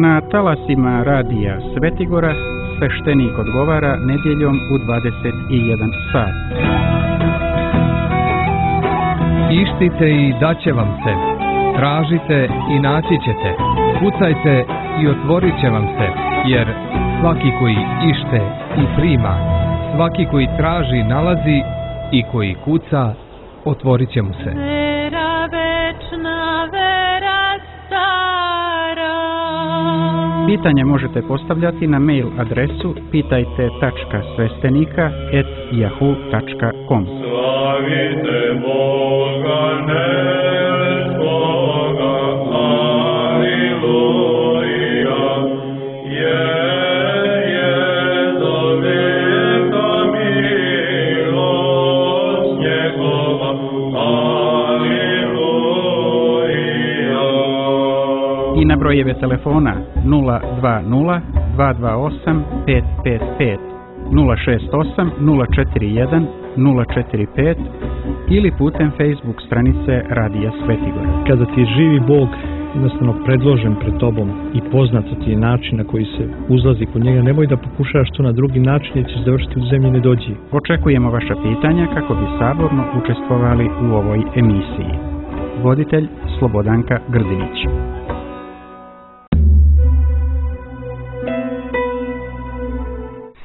Na talasima radija Svetigora sveštenik odgovara nedjeljom u 21 sat. Ištite i daće vam se, tražite i naći ćete, kucajte i otvorit će vam se, jer svaki koji ište i prima, svaki koji traži nalazi i koji kuca otvorit će mu se. Vera večna, vera stara. Pitanje možete postavljati na mail adresu pitajte.svestenika@yahoo.com. Slavite Boga nebespoga, aleluja, je do veka milost njegova, aleluja. I na brojeve telefona 020 228 555, 068 041 045 ili putem Facebook stranice Radija Svetigora. Kada ti je živi Bog jednostavno predložen pred tobom i poznato ti je način na koji se uzlazi kod njega, nemoj da pokušavaš to na drugi način jer ćeš završiti u zemlji nedođi. Očekujemo vaša pitanja kako bi saborno učestvovali u ovoj emisiji. Voditelj Slobodanka Grdinić.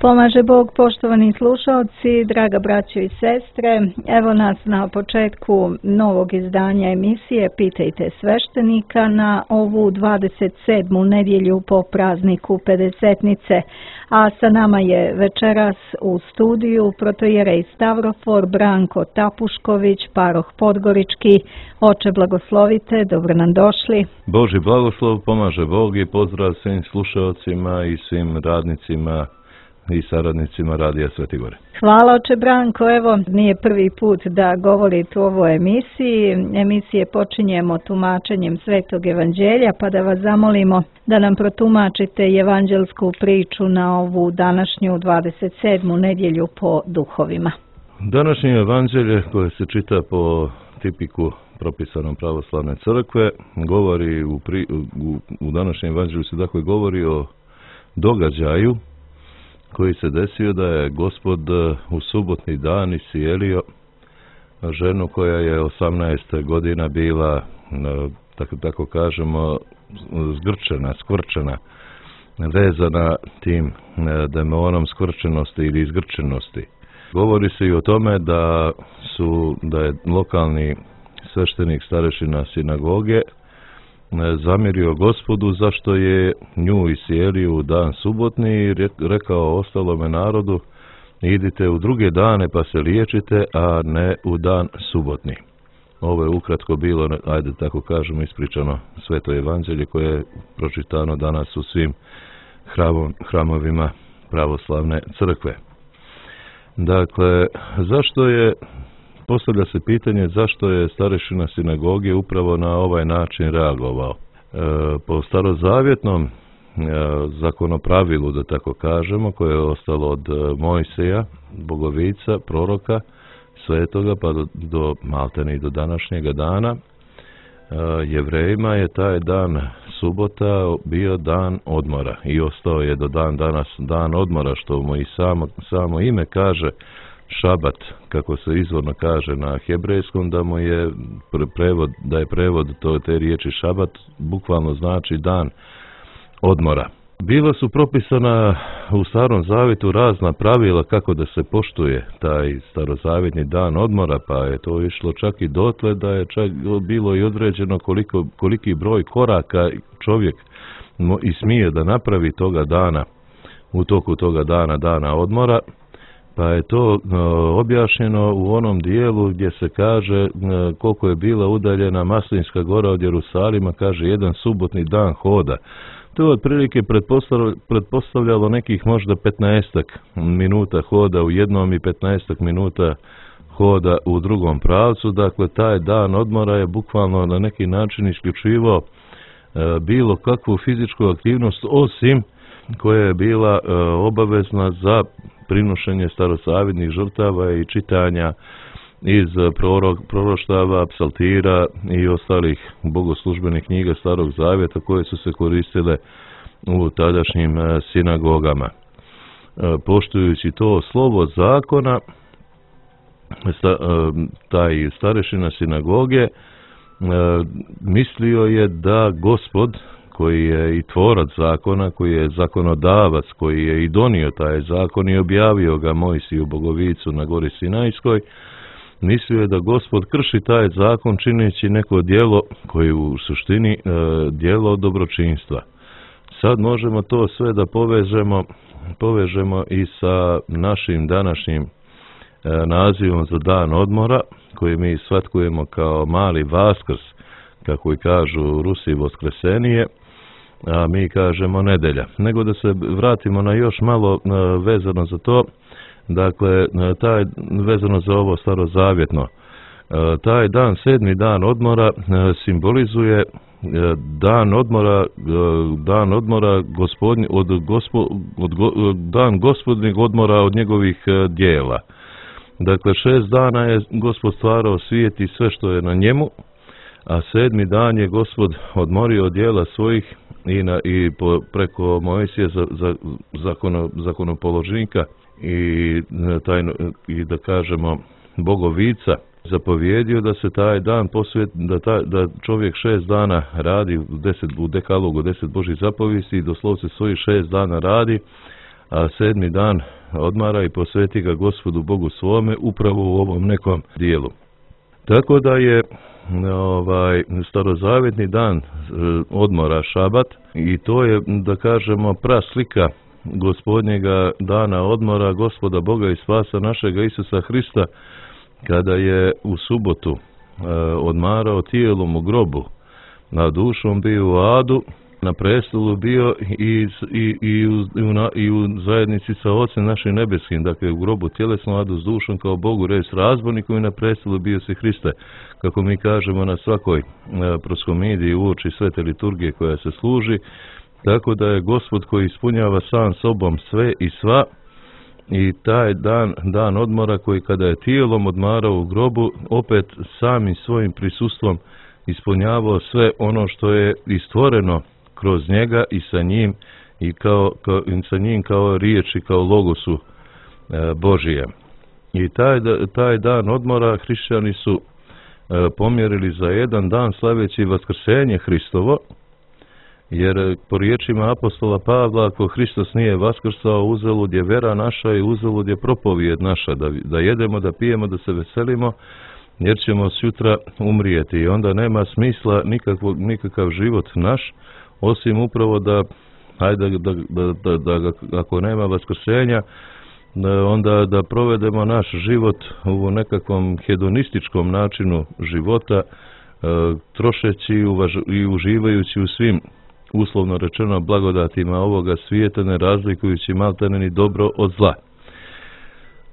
Pomaže Bog, poštovani slušalci, draga braćo i sestre. Evo nas na početku novog izdanja emisije Pitajte sveštenika na ovu 27. nedjelju po prazniku Pedesetnice. A sa nama je večeras u studiju protoijerej Stavrofor Branko Tapušković, paroh Podgorički. Oče, blagoslovite, dobro nam došli. Božji blagoslov, pomaže Bog i pozdrav svim slušalcima i svim radnicima i saradnicima Radija Svetigore. Hvala, oče Branko. Evo, nije prvi put da govorite u ovoj emisiji. Emisije počinjemo tumačenjem Svetog evanđelja, pa da vas zamolimo da nam protumačite evanđelsku priču na ovu današnju 27. nedjelju po duhovima. Današnje evanđelje koje se čita po tipiku propisanom pravoslavne crkve govori u današnjem evanđelju se dakle govori o događaju koji se desio da je Gospod u subotni dan iscijelio ženu koja je 18 godina bila, tako kažemo, zgrčena, skvrčena, vezana tim demonom skvrčenosti ili izgrčenosti. Govori se i o tome da je lokalni sveštenik starešina sinagoge zamjerio Gospodu zašto je nju iscijelio u dan subotni i rekao ostalome narodu: idite u druge dane pa se liječite, a ne u dan subotni. Ovo je ukratko bilo, ajde tako kažemo, ispričano Sveto evanđelje koje je pročitano danas u svim hramovima pravoslavne crkve. Dakle, postavlja se pitanje zašto je starešina sinagoge upravo na ovaj način reagovao. Po starozavjetnom zakonopravilu, da tako kažemo, koje je ostalo od Mojseja, bogovica, proroka, svetoga, pa do maltene i do današnjega dana, Jevrejima je taj dan subota bio dan odmora i ostao je do dan danas dan odmora, što mu i samo ime kaže šabat, kako se izvorno kaže na hebrejskom, da mu je prevod te riječi šabat bukvalno znači dan odmora. Bila su propisana u Starom Zavjetu razna pravila kako da se poštuje taj starozavjetni dan odmora, pa je to išlo čak i dotle da je čak bilo i određeno koliki broj koraka čovjek i smije da napravi toga dana, u toku toga dana odmora. Pa je to objašnjeno u onom dijelu gdje se kaže koliko je bila udaljena Maslinska gora od Jerusalima, kaže jedan subotni dan hoda. To je otprilike pretpostavljalo nekih možda 15 minuta hoda u jednom i 15 minuta hoda u drugom pravcu. Dakle, taj dan odmora je bukvalno na neki način isključivao bilo kakvu fizičku aktivnost, osim koja je bila obavezna za prinošenje starozavjetnih žrtava i čitanja iz proroštava, psaltira i ostalih bogoslužbenih knjiga Starog Zavjeta koje su se koristile u tadašnjim sinagogama. Poštujući to slovo zakona, taj starešina sinagoge mislio je da Gospod, koji je i tvorac zakona, koji je zakonodavac, koji je i donio taj zakon i objavio ga Mojsiju Bogovicu na gori Sinajskoj, mislio je da Gospod krši taj zakon čineći neko djelo koje u suštini djelo dobročinstva. Sad možemo to sve da povežemo i sa našim današnjim nazivom za dan odmora, koji mi shvatkujemo kao mali Vaskrs, kako i kažu u Rusiji Voskresenije, a mi kažemo nedelja. Nego da se vratimo na još malo vezano za to, dakle, vezano za ovo starozavjetno. Taj dan, 7. dan odmora, simbolizuje dan odmora dan gospodnjeg odmora od njegovih dijela. Dakle, 6 dana je Gospod stvarao svijet i sve što je na njemu, a 7. dan je Gospod odmorio od dijela svojih preko Mojsija zakonopoložnika i da kažemo Bogovica zapovjedio da se taj dan da čovjek 6 dana radi u dekalogu 10 Božjih zapovijesti i doslovce svojih 6 dana radi, a 7. dan odmara i posveti ga Gospodu Bogu svome upravo u ovom nekom dijelu. Tako da je starozavjetni dan odmora šabat i to je, da kažemo, praslika Gospodnjega dana odmora, Gospoda Boga i spasa našega Isusa Hrista, kada je u subotu odmarao tijelom u grobu, na dušom bio u adu, na prestolu bio i u zajednici sa Ocem našim nebeskim, dakle u grobu tjelesno, adu s dušom kao Bogu, res razborniku, i na prestolu bio si Hriste, kako mi kažemo na svakoj proskomidiji uoči svete liturgije koja se služi. Tako da je Gospod koji ispunjava sam sobom sve i sva, i taj dan odmora koji kada je tijelom odmarao u grobu, opet samim svojim prisustvom ispunjavao sve ono što je istvoreno kroz njega i sa njim i sa njim kao riječi, kao logosu Božije. I taj dan odmora hrišćani su pomjerili za jedan dan slaveći vaskrsenje Hristovo, jer po riječima apostola Pavla, ako Hristos nije vaskrsao, uzalud je vera naša i uzalud je propovijed naša, da jedemo, da pijemo, da se veselimo, jer ćemo sutra umrijeti. I onda nema smisla nikakav život naš, osim upravo da ako nema vaskrsenja, onda da provedemo naš život u nekakvom hedonističkom načinu života, trošeći i uživajući u svim, uslovno rečeno, blagodatima ovoga svijeta, ne razlikujući maltene ni dobro od zla.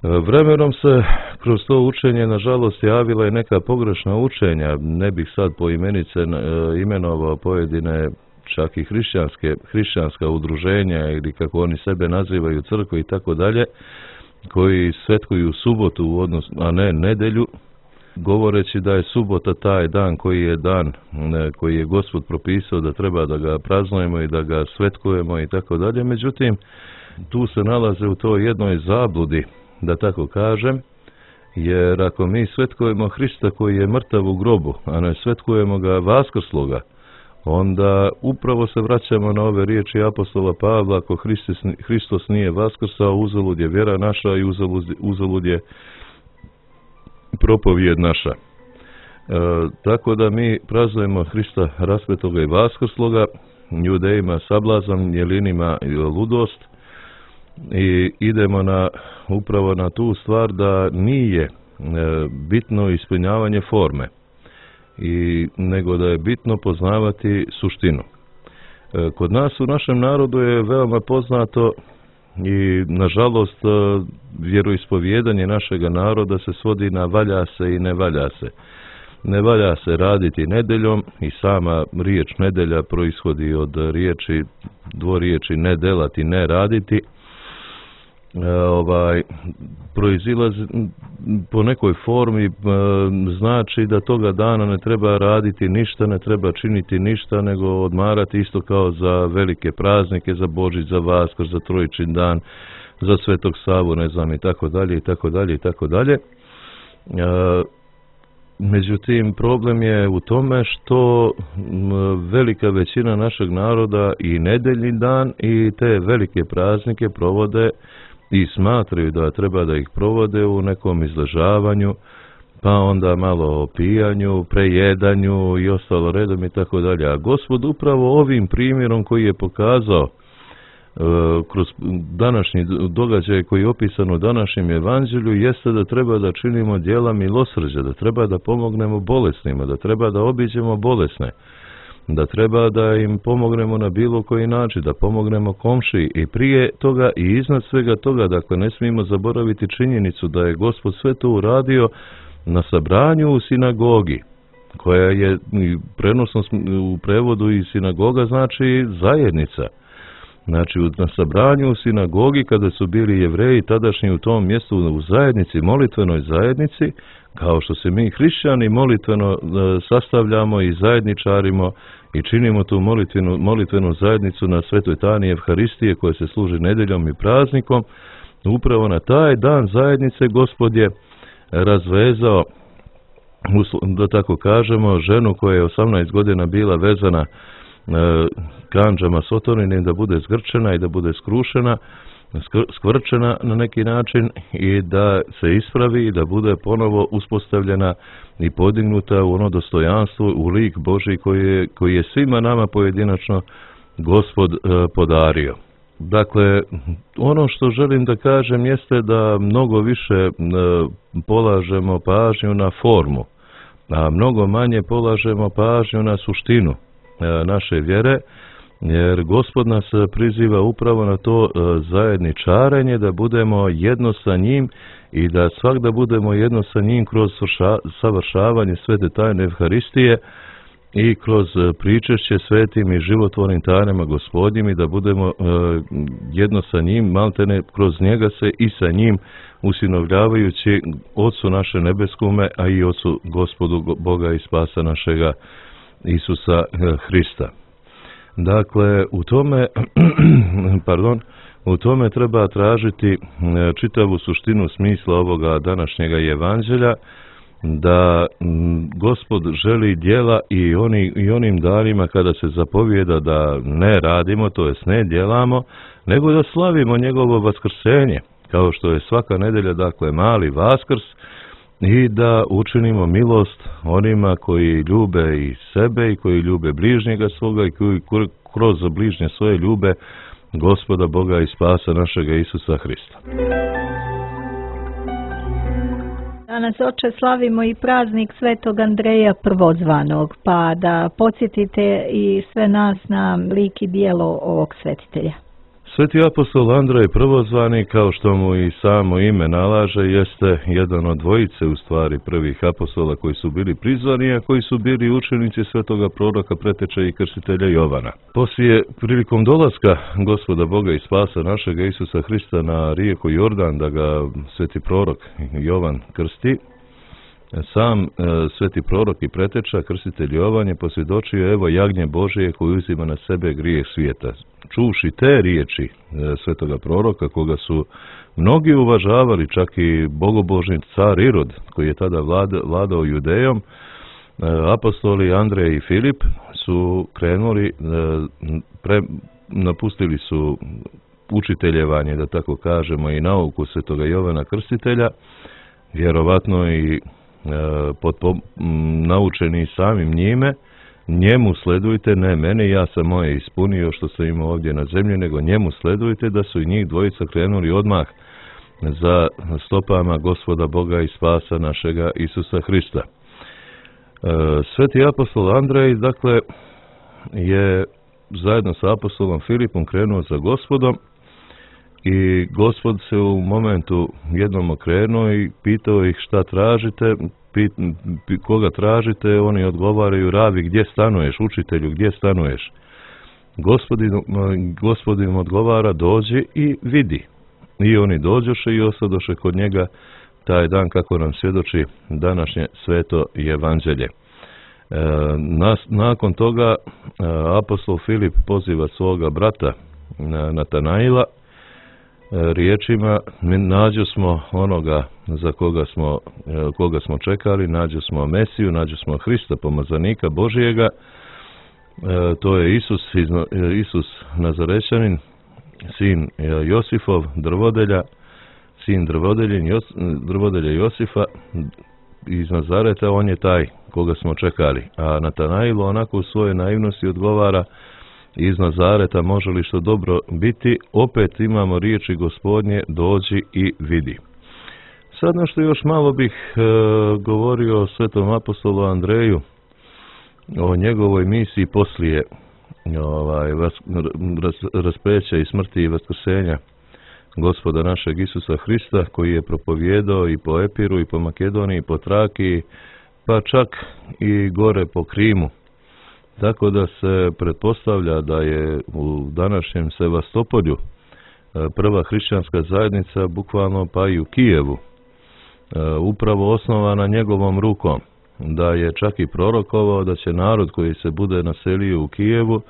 Vremenom se kroz to učenje, nažalost, javila i neka pogrešna učenja. Ne bih sad po imenice imenovao pojedine čak i hrišćanska udruženja ili kako oni sebe nazivaju crkve i tako dalje, koji svetkuju subotu a ne nedelju, govoreći da je subota taj dan koji je Gospod propisao da treba da ga praznujemo i da ga svetkujemo i tako dalje. Međutim, tu se nalaze u toj jednoj zabludi, da tako kažem, jer ako mi svetkujemo Hrista koji je mrtav u grobu, a ne svetkujemo ga vaskrsloga, onda upravo se vraćamo na ove riječi apostola Pavla: ako Hristos nije vaskrsao, uzalud je vjera naša i uzalud je propovijed naša. Tako da mi praznujemo Hrista raspetoga i vaskrsloga, Judejima sablazan, Jelinima ludost, i idemo upravo na tu stvar da nije bitno ispunjavanje forme, nego da je bitno poznavati suštinu. Kod nas u našem narodu je veoma poznato i nažalost vjeroispovjedanje našega naroda se svodi na valja se i ne valja se. Ne valja se raditi nedeljom i sama riječ nedelja proishodi od dvoriječi ne delati, ne raditi. proizilazi po nekoj formi, znači da toga dana ne treba raditi ništa, ne treba činiti ništa, nego odmarati isto kao za velike praznike, za Božić, za Vaskrs, za Trojičin dan, za Svetog Savu, ne znam, i tako dalje, i tako dalje, i tako dalje. Međutim, problem je u tome što velika većina našeg naroda i nedeljni dan i te velike praznike provode i smatraju da treba da ih provode u nekom izležavanju, pa onda malo o pijanju, prejedanju i ostalo redom i tako dalje. A Gospod upravo ovim primjerom koji je pokazao kroz današnji događaj koji je opisan u današnjem evanđelju jeste da treba da činimo djela milosrđa, da treba da pomognemo bolesnima, da treba da obiđemo bolesne, da treba da im pomognemo na bilo koji način, da pomognemo komšiji i prije toga i iznad svega toga. Dakle, ne smijemo zaboraviti činjenicu da je Gospod sve to uradio na sabranju u sinagogi, koja je prenosno u prevodu i sinagoga znači zajednica. Znači, na sabranju u sinagogi, kada su bili Jevreji tadašnji u tom mjestu u zajednici, molitvenoj zajednici, kao što se mi hrišćani molitveno sastavljamo i zajedničarimo i činimo tu molitvenu zajednicu na Svetoj Tani Evharistije koja se služi nedeljom i praznikom, upravo na taj dan zajednice Gospod je razvezao, da tako kažemo, ženu koja je 18 godina bila vezana kandžama sotorinim, da bude zgrčena i da bude skrušena, skvrčena na neki način i da se ispravi i da bude ponovo uspostavljena i podignuta u ono dostojanstvo, u lik Božji koji je svima nama pojedinačno Gospod podario. Dakle, ono što želim da kažem jeste da mnogo više polažemo pažnju na formu, a mnogo manje polažemo pažnju na suštinu naše vjere, jer Gospod nas priziva upravo na to zajedničarenje, da budemo jedno sa njim i da svakda budemo jedno sa njim kroz savršavanje Svete tajne Evharistije i kroz pričešće svetim i životvornim tajnama Gospodnjim i da budemo jedno sa njim, maltene kroz njega se i sa njim usinovljavajući Otcu naše nebeskome, a i Otcu Gospodu Boga i Spasa našega Isusa Hrista. Dakle, u tome treba tražiti čitavu suštinu smisla ovoga današnjega evanđelja, da Gospod želi djela i onim danima kada se zapovijeda da ne radimo, to jest ne djelamo, nego da slavimo njegovo vaskrsenje, kao što je svaka nedelja, dakle, mali Vaskrs, i da učinimo milost onima koji ljube i sebe i koji ljube bližnjega svoga i koji kroz bližnje svoje ljube Gospoda Boga i Spasa našega Isusa Hrista. Danas, oče, slavimo i praznik Svetog Andreja Prvozvanog, pa da podsjetite i sve nas na lik i djelo ovog svetitelja. Sveti apostol Andrej Prvozvani, kao što mu i samo ime nalaže, jeste jedan od dvojice, u stvari, prvih apostola koji su bili prizvani, a koji su bili učenici svetoga proroka, preteča i krstitelja Jovana. Poslije, prilikom dolaska Gospoda Boga i Spasa našega Isusa Hrista na rijeku Jordan, da ga sveti prorok Jovan krsti, sam sveti prorok i preteča, krstitelj Jovan, je posvjedočio: evo jagnje Božije koji uzima na sebe grijeh svijeta. Čuvši te riječi svetoga proroka, koga su mnogi uvažavali, čak i bogobožni car Irod, koji je tada vladao Judejom, apostoli Andrej i Filip su krenuli, napustili su učiteljevanje, da tako kažemo, i nauku svetoga Jovana Krstitelja, vjerovatno i naučeni samim njime. Njemu sledujte, ne mene, ja sam moje ispunio što sam imao ovdje na zemlji, nego njemu sledujte, da su i njih dvojica krenuli odmah za stopama Gospoda Boga i Spasa našega Isusa Hrista. Sveti apostol Andrej, dakle, je zajedno sa apostolom Filipom krenuo za Gospodom i Gospod se u momentu jednom okrenuo i pitao ih šta tražite. Koga tražite? Oni odgovaraju: rabi, gdje stanuješ? Učitelju, gdje stanuješ? Gospodin odgovara: dođi i vidi. i oni dođoše i osadoše kod njega taj dan, kako nam svjedoči današnje sveto evanđelje. Nakon toga apostol Filip poziva svoga brata Natanaila riječima: nađo smo onoga za koga smo čekali, nađo smo Mesiju, nađo smo Hrista, pomazanika Božijega. To je Isus Nazarećanin, sin Josifov, drvodelja, sin drvodelja Josifa iz Nazareta. On je taj koga smo čekali. A Natanail onako u svojoj naivnosti odgovara: iz Nazareta može li što dobro biti? Opet imamo riječi Gospodnje, dođi i vidi. Sad nešto još malo bih govorio o svetom apostolu Andreju, o njegovoj misiji poslije raspeća i smrti i vaskrsenja Gospoda našeg Isusa Hrista, koji je propovijedao i po Epiru, i po Makedoniji, i po Trakiji, pa čak i gore po Krimu. Tako da se pretpostavlja da je u današnjem Sevastopolju prva hrišćanska zajednica, bukvalno pa i u Kijevu, upravo osnovana njegovom rukom, da je čak i prorokovao da će narod koji se bude naselio u Kijevu,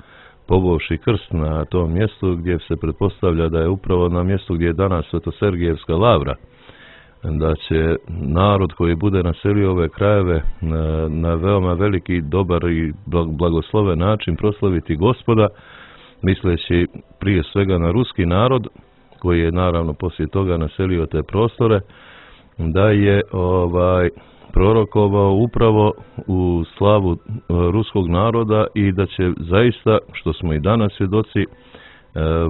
povovši krst na tom mjestu gdje se pretpostavlja da je upravo na mjestu gdje je danas Svetosергijevska lavra, da će narod koji bude naselio ove krajeve na veoma veliki, dobar i blagosloven način proslaviti Gospoda, misleći prije svega na ruski narod, koji je naravno poslije toga naselio te prostore, da je prorokovao upravo u slavu ruskog naroda i da će zaista, što smo i danas svjedoci,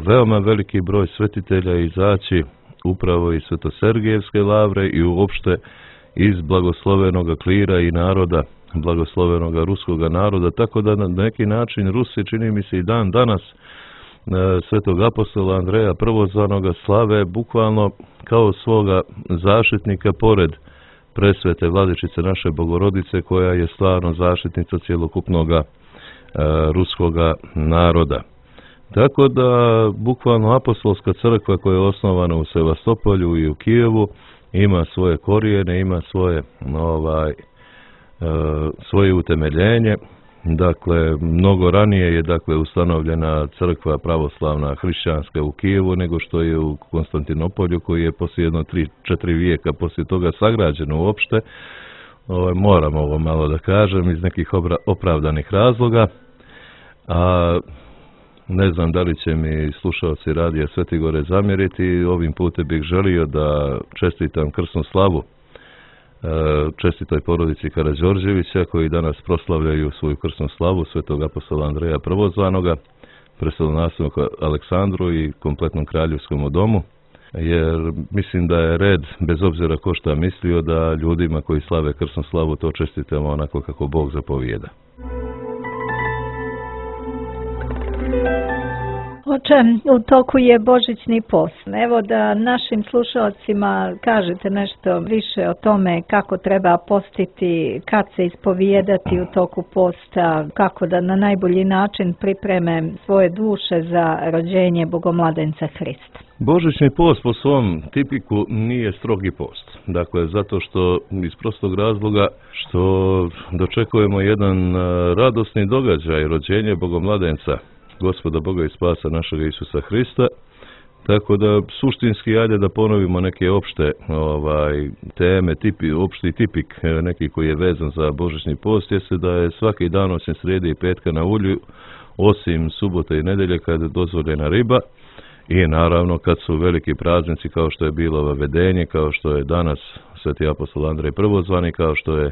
veoma veliki broj svetitelja izaći upravo iz Svetosергijevske lavre i uopšte iz blagoslovenoga klira i naroda, blagoslovenoga ruskoga naroda, tako da na neki način Rusi, čini mi se i dan danas, svetog apostola Andreja Prvozvanoga slave bukvalno kao svoga zaštitnika pored presvete Vladičice naše Bogorodice, koja je stvarno zaštitnica cjelokupnoga ruskoga naroda. Tako da bukvalno apostolska crkva koja je osnovana u Sevastopolju i u Kijevu ima svoje korijene, ima svoje utemeljenje. Dakle, mnogo ranije je ustanovljena crkva pravoslavna hrišćanska u Kijevu nego što je u Konstantinopolju, koji je poslije 3-4 vijeka poslije toga sagrađeno uopšte. Moram ovo malo da kažem iz nekih opravdanih razloga. A ne znam da li će mi slušalci radija Sveti Gore zamjeriti. Ovim putem bih želio da čestitam krsnu slavu čestitoj porodici Karađorđevića, koji danas proslavljaju svoju krsnu slavu svetog apostola Andreja Prvozvanoga, prestolonasledniku Aleksandru i kompletnom kraljevskom domu, jer mislim da je red, bez obzira ko šta mislio, da ljudima koji slave krsnu slavu to čestitamo onako kako Bog zapovijeda. Oče, u toku je Božićni post. Evo da našim slušalcima kažete nešto više o tome kako treba postiti, kad se ispovijedati u toku posta, kako da na najbolji način pripreme svoje duše za rođenje Bogomladenca Hrista. Božićni post po svom tipiku nije strogi post. Dakle, zato što iz prostog razloga što dočekujemo jedan radosni događaj, rođenje Bogomladenca, Gospoda Boga i Spasa našega Isusa Hrista. Tako da suštinski ajde da ponovimo neke opšte teme, opšti tipik neki koji je vezan za Božićni post, jeste da je svaki dan osim srijede i petka na ulju, osim subote i nedelje kad je dozvoljena riba, i naravno kad su veliki praznici kao što je bilo Vavedenje, kao što je danas sveti apostol Andrej Prvozvani, kao što je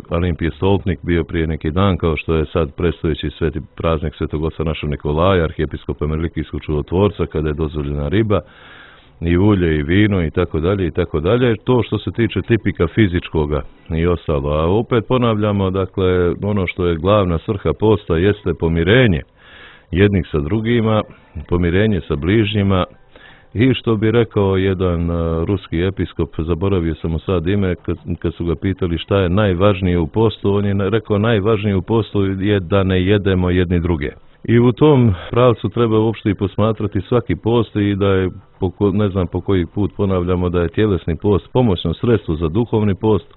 Olimpije Stolpnik bio prije neki dan, kao što je sad predstojeći sveti praznik svetog oca našeg Nikolaja, arhijepiskopa Melikijskog čudotvorca, kada je dozvoljena riba i ulje i vino i tako dalje i tako dalje. To što se tiče tipika fizičkoga i ostalo. A opet ponavljamo, dakle, ono što je glavna svrha posta jeste pomirenje jednih sa drugima, pomirenje sa bližnjima I što bi rekao jedan ruski episkop, zaboravio sam mu sad ime, kad su ga pitali šta je najvažnije u postu, on je rekao najvažnije u postu je da ne jedemo jedni druge. I u tom pravcu treba uopšte i posmatrati svaki post i da je, ne znam po koji put ponavljamo, da je tjelesni post pomoćno sredstvo za duhovni post,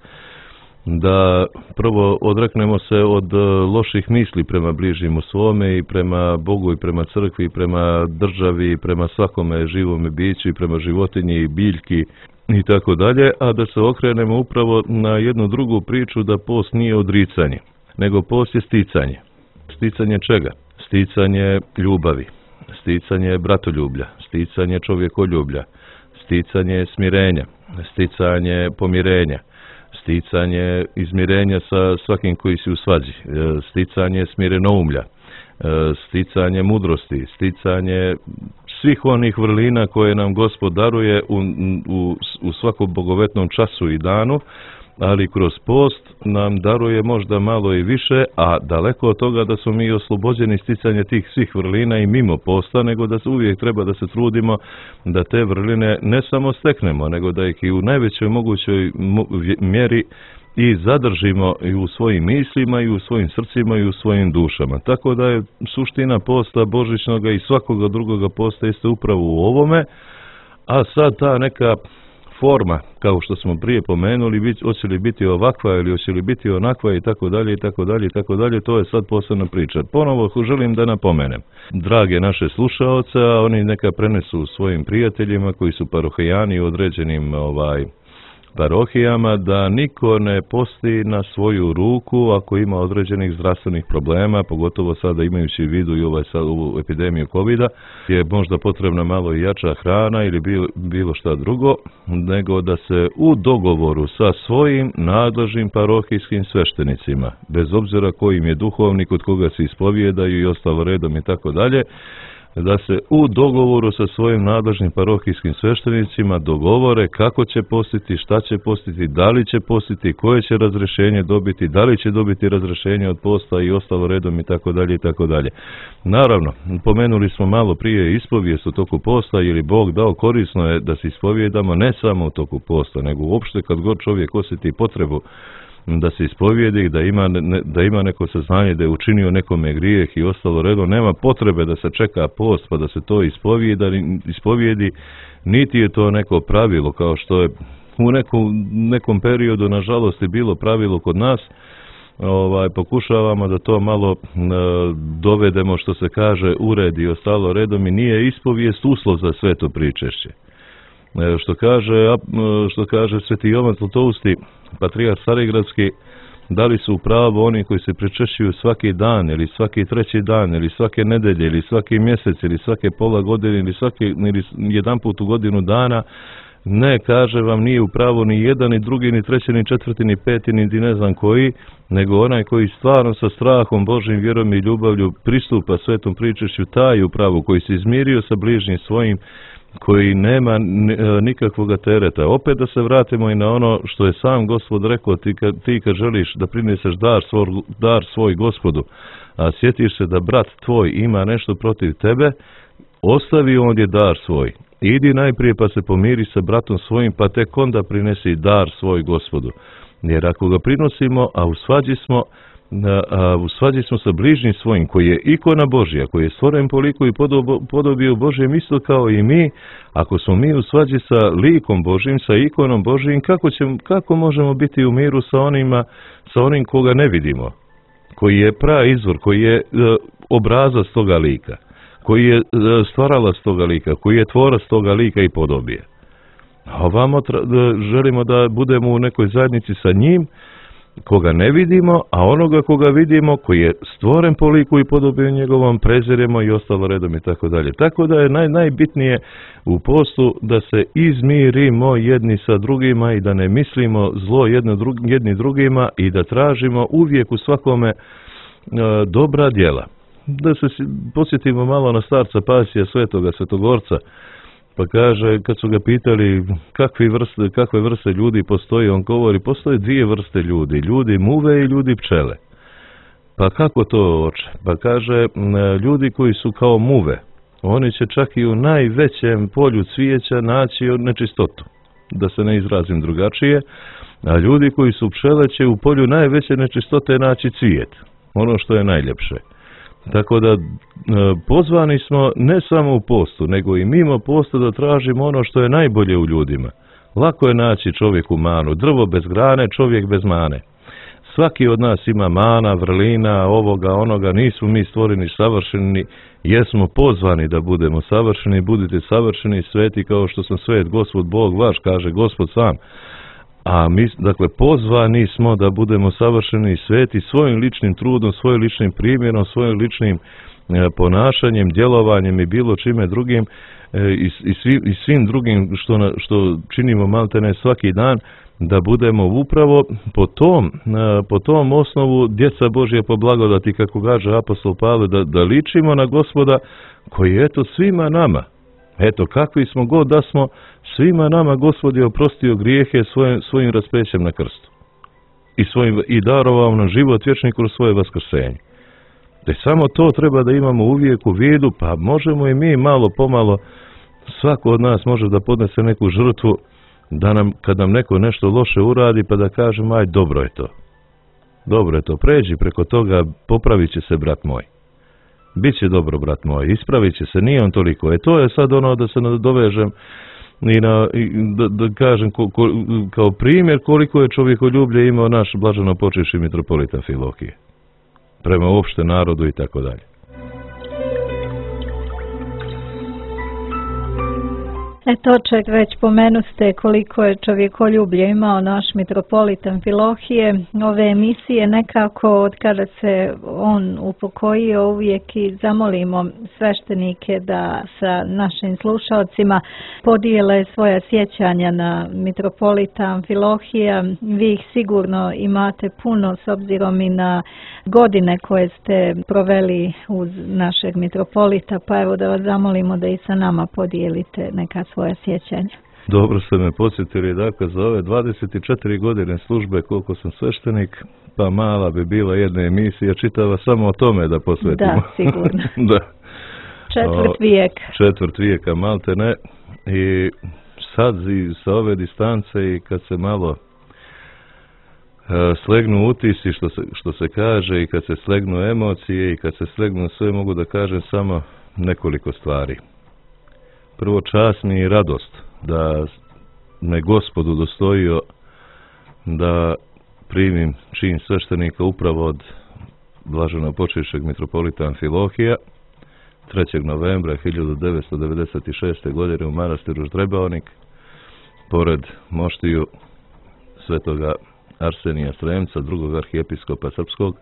da prvo odreknemo se od loših misli prema bližnjemu svome i prema Bogu i prema crkvi i prema državi i prema svakome živome biću i prema životinji i biljki i tako dalje, a da se okrenemo upravo na jednu drugu priču, da post nije odricanje, nego post je sticanje. Sticanje čega? Sticanje ljubavi, sticanje bratoljublja, sticanje čovjekoljublja, sticanje smirenja, sticanje pomirenja, sticanje izmirenja sa svakim koji si u svađi, sticanje smirenoumlja, sticanje mudrosti, sticanje svih onih vrlina koje nam Gospod daruje u svakom bogovetnom času i danu, ali kroz post nam daruje možda malo i više, a daleko od toga da smo mi oslobođeni sticanja tih svih vrlina i mimo posta, nego da uvijek treba da se trudimo da te vrline ne samo steknemo, nego da ih i u najvećoj mogućoj mjeri i zadržimo i u svojim mislima i u svojim srcima i u svojim dušama. Tako da je suština posta božićnoga i svakoga drugoga posta jeste upravo u ovome, a sad ta neka forma, kao što smo prije pomenuli, hoće li biti ovakva ili hoće li biti onakva i tako dalje i tako dalje i tako dalje, to je sad posebna priča. Ponovo želim da napomenem, drage naše slušaoce, a oni neka prenesu svojim prijateljima koji su parohijani u određenim parohijama, da niko ne posti na svoju ruku ako ima određenih zdravstvenih problema, pogotovo sada imajući u vidu i ovu epidemiju COVID-a, je možda potrebna malo i jača hrana ili bilo šta drugo, nego da se u dogovoru sa svojim nadležnim parohijskim sveštenicima, bez obzira kojim je duhovnik, od koga se ispovijedaju i ostalo redom i tako dalje, da se u dogovoru sa svojim nadležnim parohijskim sveštenicima dogovore kako će postiti, šta će postiti, da li će postiti, koje će razrešenje dobiti, da li će dobiti razrešenje od posta i ostalo redom i tako dalje i tako dalje. Naravno, pomenuli smo malo prije ispovijest u toku posta, ili Bog dao, korisno je da se ispovijedamo ne samo u toku posta, nego uopšte kad god čovjek osjeti potrebu da se ispovijedi, da ima neko saznanje da je učinio nekome grijeh i ostalo redom, nema potrebe da se čeka post pa da se to ispovijedi, niti je to neko pravilo kao što je u nekom periodu nažalost je bilo pravilo kod nas. Pokušavamo da to malo dovedemo, što se kaže, ured i ostalo redom, i nije ispovijest uslov za sveto pričešće. Što kaže Sveti Jovan Zlatousti, patrijarh Carigradski, da li su u pravu oni koji se pričešćuju svaki dan ili svaki treći dan ili svake nedelje ili svaki mjesec ili svake pola godine ili jedan put u godinu dana. Ne, kaže vam, nije u pravu ni jedan, ni drugi, ni treći, ni četvrti, ni peti, ni ne znam koji, nego onaj koji stvarno sa strahom Božjim, vjerom i ljubavlju pristupa svetom pričešću, taj u pravu, koji se izmirio sa bližnjim svojim, koji nema nikakvog tereta. Opet da se vratimo i na ono što je sam Gospod rekao, ti kad želiš da prineseš dar svoj Gospodu, a sjetiš se da brat tvoj ima nešto protiv tebe, ostavi ondje dar svoj. Idi najprije pa se pomiri sa bratom svojim, pa tek onda prinesi dar svoj Gospodu. Jer ako ga prinosimo, a u svađi smo sa bližnjim svojim, koji je ikona Božja, koji je stvoren po liku i podobiju Božjem isto kao i mi, ako smo mi u svađi sa likom Božjim, sa ikonom Božjim, kako možemo biti u miru sa onim koga ne vidimo, koji je praizvor, koji je obrazac toga lika, koji je stvaralac toga lika, koji je tvorac toga lika i podobije. A ovamo želimo da budemo u nekoj zajednici sa njim, koga ne vidimo, a onoga koga vidimo, koji je stvoren po liku i podobiju njegovom, preziremo i ostalo redom i tako dalje. Tako da je najbitnije u postu da se izmirimo jedni sa drugima i da ne mislimo zlo jedni drugima i da tražimo uvijek u svakome dobra djela. Da se podsjetimo malo na starca Pasija Svetoga, Svetogorca, pa kaže, kad su ga pitali kakve vrste ljudi postoji, on govori, postoje dvije vrste ljudi, ljudi muve i ljudi pčele. Pa kako to, oče? Pa kaže, ljudi koji su kao muve, oni će čak i u najvećem polju cvijeća naći nečistotu, da se ne izrazim drugačije, a ljudi koji su pčele će u polju najveće nečistote naći cvijet, ono što je najljepše. Tako da pozvani smo ne samo u postu, nego i mimo posta da tražimo ono što je najbolje u ljudima. Lako je naći čovjeku manu, drvo bez grane, čovjek bez mane. Svaki od nas ima mana, vrlina, ovoga, onoga, nismo mi stvoreni savršeni, jesmo pozvani da budemo savršeni, budite savršeni i sveti kao što sam svet, Gospod Bog vaš, kaže Gospod sam. A mi, dakle, pozvani smo da budemo savršeni i sveti svojim ličnim trudom, svojim ličnim primjerom, svojim ličnim ponašanjem, djelovanjem i bilo čime drugim i svim drugim što činimo maltene svaki dan, da budemo upravo po tom osnovu djeca Božje po blagodati, kako kaže apostol Pavle, da ličimo na Gospoda koji je eto svima nama. Eto, kakvi smo god da smo, svima nama Gospod je oprostio grijehe svojim raspećem na krstu. I darovao nam život vječni kroz svoje vaskrsenje. Da samo to treba da imamo uvijek u vidu, pa možemo i mi malo pomalo, svako od nas može da podnese neku žrtvu, da kad nam neko nešto loše uradi, pa da kažemo, aj, dobro je to. Dobro je to, pređi preko toga, popravit će se, brat moj. Biće dobro, brat moj, ispravit će se, nije on toliko. To je sad ono da se nadovežem i da kažem kao primjer koliko je čovjekoljublje imao naš blaženo počivši mitropolita Amfilohije. Prema uopšte narodu i tako dalje. Toček, već pomenuste koliko je čovjekoljublje imao naš mitropolit Amfilohije. Ove emisije nekako, od kada se on upokojio, uvijek i zamolimo sveštenike da sa našim slušalcima podijele svoja sjećanja na mitropolita Amfilohija. Vi ih sigurno imate puno s obzirom i na godine koje ste proveli uz našeg mitropolita, pa evo da vas zamolimo da i sa nama podijelite neka svoja sjećanja. Dobro ste me podsjetili, dakle, za ove 24 godine službe koliko sam sveštenik, pa mala bi bila jedna emisija čitava samo o tome da posvetimo. Da, sigurno. Da. Četvrt vijeka. Malte ne. I sad sa ove distance i kad se malo slegnu utisci, što se kaže, i kad se slegnu emocije i kad se slegnu sve, mogu da kažem samo nekoliko stvari. Prvo, čast mi i radost da me Gospod udostojio da primim čin sveštenika upravo od blaženopočivšeg mitropolita Amfilohija 3. novembra 1996. godine u manastiru Ždrebaonik, pored moštiju svetoga Arsenija Sremca, drugog arhijepiskopa srpskog.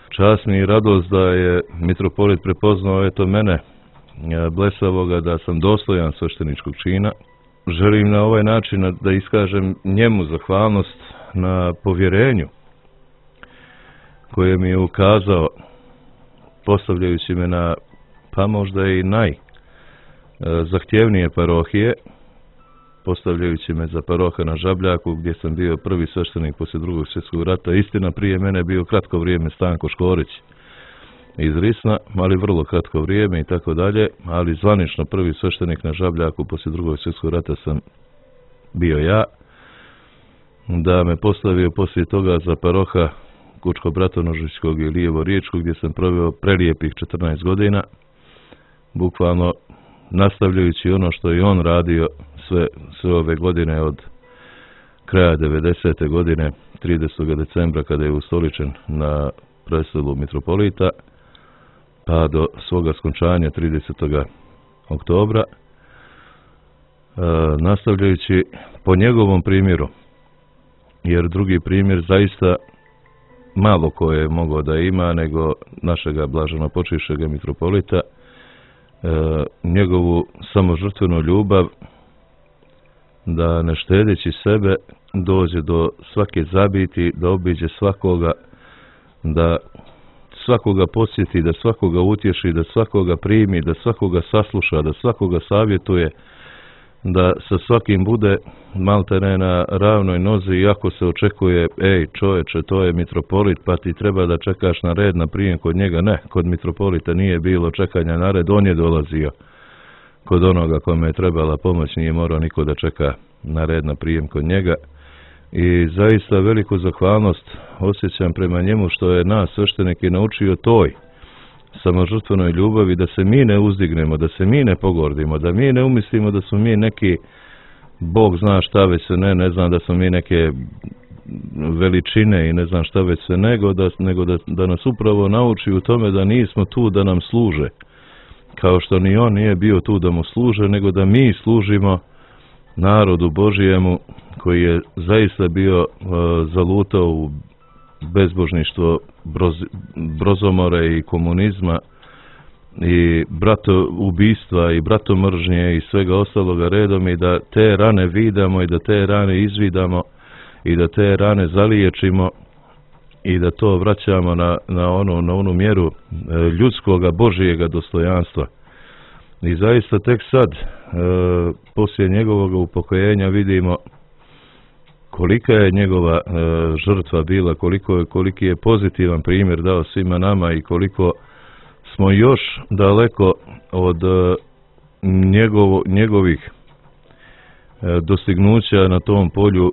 Čast mi i radost da je mitropolit prepoznao eto mene, blesavoga, da sam dostojan svešteničkog čina. Želim na ovaj način da iskažem njemu zahvalnost na povjerenju koje mi je ukazao, postavljajući me na, pa možda i najzahtjevnije parohije, postavljajući me za paroha na Žabljaku, gdje sam bio prvi sveštenik poslije Drugog svjetskog rata. Istina, prije mene bio kratko vrijeme Stanko Škorić iz Risna, ali vrlo kratko vrijeme i tako dalje, ali zvanično prvi sveštenik na Žabljaku poslije Drugog svjetskog rata sam bio ja. Da me postavio poslije toga za paroha Kučko-Bratonožičkog i Lijevo-Riječkog, gdje sam proveo prelijepih 14 godina, bukvalno nastavljajući ono što je on radio sve ove godine od kraja 90. godine, 30. decembra kada je ustoličen na prestolu mitropolita, pa do svoga skončanja 30. oktobra, nastavljajući po njegovom primjeru, jer drugi primjer zaista malo ko je mogao da ima nego našega blaženopočivšega mitropolita, njegovu samožrtvenu ljubav da ne štedeći sebe dođe do svake zabiti, da obiđe svakoga, da svakoga posjeti, da svakoga utješi, da svakoga primi, da svakoga sasluša, da svakoga savjetuje, da sa svakim bude maltene na ravnoj nozi, iako se očekuje, ej čoveče, to je mitropolit, pa ti treba da čekaš na red na prijem kod njega. Ne, kod mitropolita nije bilo čekanja na red, on je dolazio. kod onoga kome je trebala pomoć, nije morao niko da čeka na red na prijem kod njega. I zaista veliku zahvalnost osjećam prema njemu što je nas sveštenike naučio toj samožrtvenoj ljubavi, da se mi ne uzdignemo, da se mi ne pogordimo, da mi ne umislimo da smo mi neki Bog zna šta već se ne znam da smo mi neke veličine i ne znam šta već se, nego da nas upravo nauči u tome da nismo tu da nam služe, kao što ni on nije bio tu da mu služe, nego da mi služimo narodu Božijemu koji je zaista bio zalutao u bezbožništvo, brozomore i komunizma i bratoubistva i bratomržnje i svega ostaloga redom, i da te rane vidamo i da te rane izvidamo i da te rane zaliječimo i da to vraćamo na onu mjeru ljudskoga Božijega dostojanstva. I zaista tek sad, poslije njegovog upokojenja, vidimo kolika je njegova žrtva bila, koliki je pozitivan primjer dao svima nama i koliko smo još daleko od njegovih dostignuća na tom polju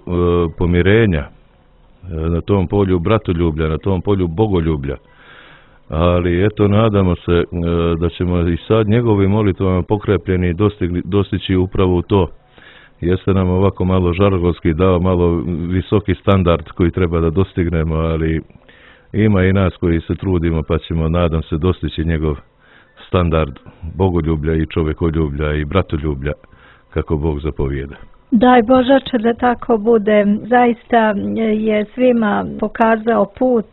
pomirenja, na tom polju bratoljublja, na tom polju bogoljublja. Ali eto, nadamo se da ćemo i sad njegovim molitvama pokrepljeni dostići upravo u to. Jeste nam ovako malo žargonski dao, malo visoki standard koji treba da dostignemo, ali ima i nas koji se trudimo, pa ćemo, nadam se, dostići njegov standard bogoljublja i čovekoljublja i bratoljublja kako Bog zapovijeda. Daj Božače da tako bude. Zaista je svima pokazao put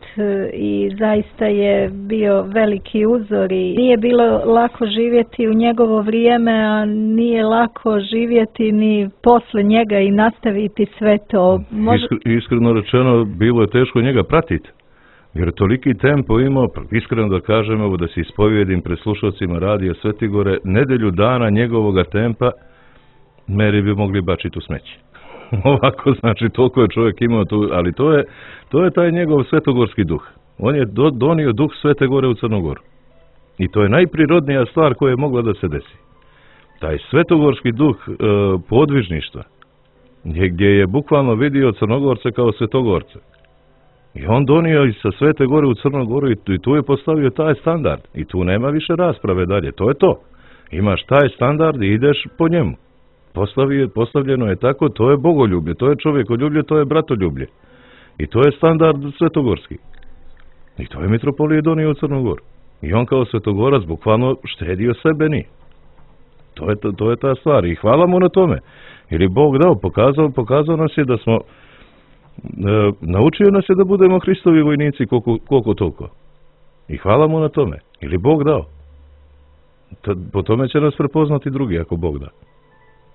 i zaista je bio veliki uzor i nije bilo lako živjeti u njegovo vrijeme, a nije lako živjeti ni posle njega i nastaviti sve to. Iskreno rečeno, bilo je teško njega pratiti, jer toliki tempo imao, iskreno da kažem, evo da se ispovjedim pred slušalcima radija Svetigore, nedelju dana njegovoga tempa meri bi mogli bačiti u smeće. Ovako, znači, toliko je čovjek imao tu, ali to je taj njegov svetogorski duh. On je donio duh Svete Gore u Crnu Goru. I to je najprirodnija stvar koja je mogla da se desi. Taj svetogorski duh podvižništva, gdje je bukvalno vidio Crnogorce kao svetogorce. I on donio i sa Svete Gore u Crnu Goru i tu je postavio taj standard. I tu nema više rasprave dalje. To je to. Imaš taj standard i ideš po njemu. Postavljeno je tako, to je bogoljublje, to je čovjekoljublje, to je bratoljublje. I to je standard svetogorski. I to je mitropolije donio u Crnu Goru. I on kao svetogorac bukvalno štedio sebe ni. To je ta stvar. I hvala mu na tome. Jer je Bog dao, pokazao nas je da smo, naučio nas je da budemo Hristovi vojnici koliko toliko. I hvala mu na tome. Jer je Bog dao. Po tome će nas prepoznati drugi ako Bog da.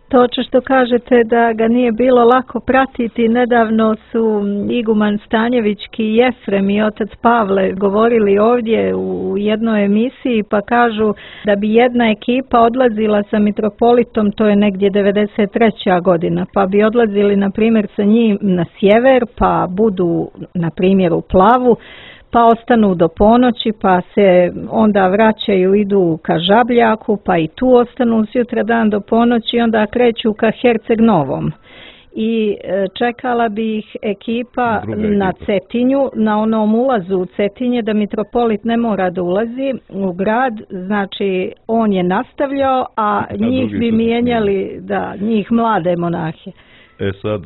To što kažete da ga nije bilo lako pratiti, nedavno su iguman Stanjevićki i Jefrem i otac Pavle govorili ovdje u jednoj emisiji, pa kažu da bi jedna ekipa odlazila sa mitropolitom, to je negdje 93. godina, pa bi odlazili na primjer sa njim na sjever, pa budu na primjer u Plavu, pa ostanu do ponoći, pa se onda vraćaju, idu ka Žabljaku, pa i tu ostanu sutra dan do ponoći i onda kreću ka Herceg Novom. I čekala bi ih ekipa na Cetinju, na onom ulazu u Cetinje, da mitropolit ne mora da ulazi u grad, znači on je nastavljao, a njih bi mijenjali, njih mlade monahe. Sad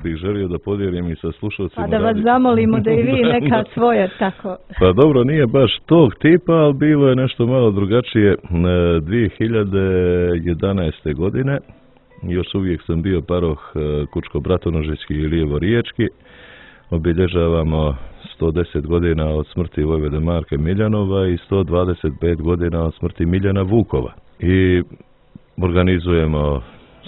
bih želio da podijelim i sa slušalcima. Pa da vas zamolimo da i vi neka svoje tako. Pa dobro, nije baš tog tipa, ali bilo je nešto malo drugačije. 2011. godine, još uvijek sam bio paroh Kučko-Bratonožički i Lijevo-Riječki. Obilježavamo 110 godina od smrti vojvode Marka Miljanova i 125 godina od smrti Miljana Vukova. I organizujemo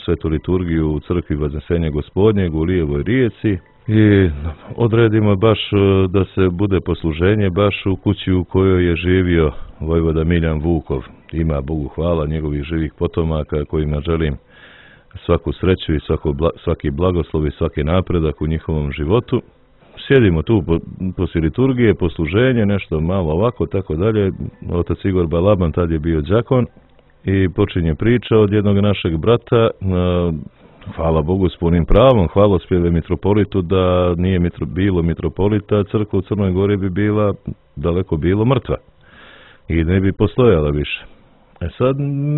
svetu liturgiju u crkvi Vaznesenja Gospodnjeg u Lijevoj Rijeci i odredimo baš da se bude posluženje baš u kući u kojoj je živio vojvoda Miljan Vukov. Ima, Bogu hvala, njegovih živih potomaka kojima želim svaku sreću i svaki blagoslov i svaki napredak u njihovom životu. Sjedimo tu poslije liturgije, posluženje, nešto malo ovako, tako dalje. Otac Igor Balaban tad je bio đakon i počinje priča od jednog našeg brata, hvala Bogu s punim pravom, hvalospjeve mitropolitu, da nije bilo mitropolita, crkva u Crnoj Gori bi bila daleko bilo mrtva i ne bi postojala više. Sad,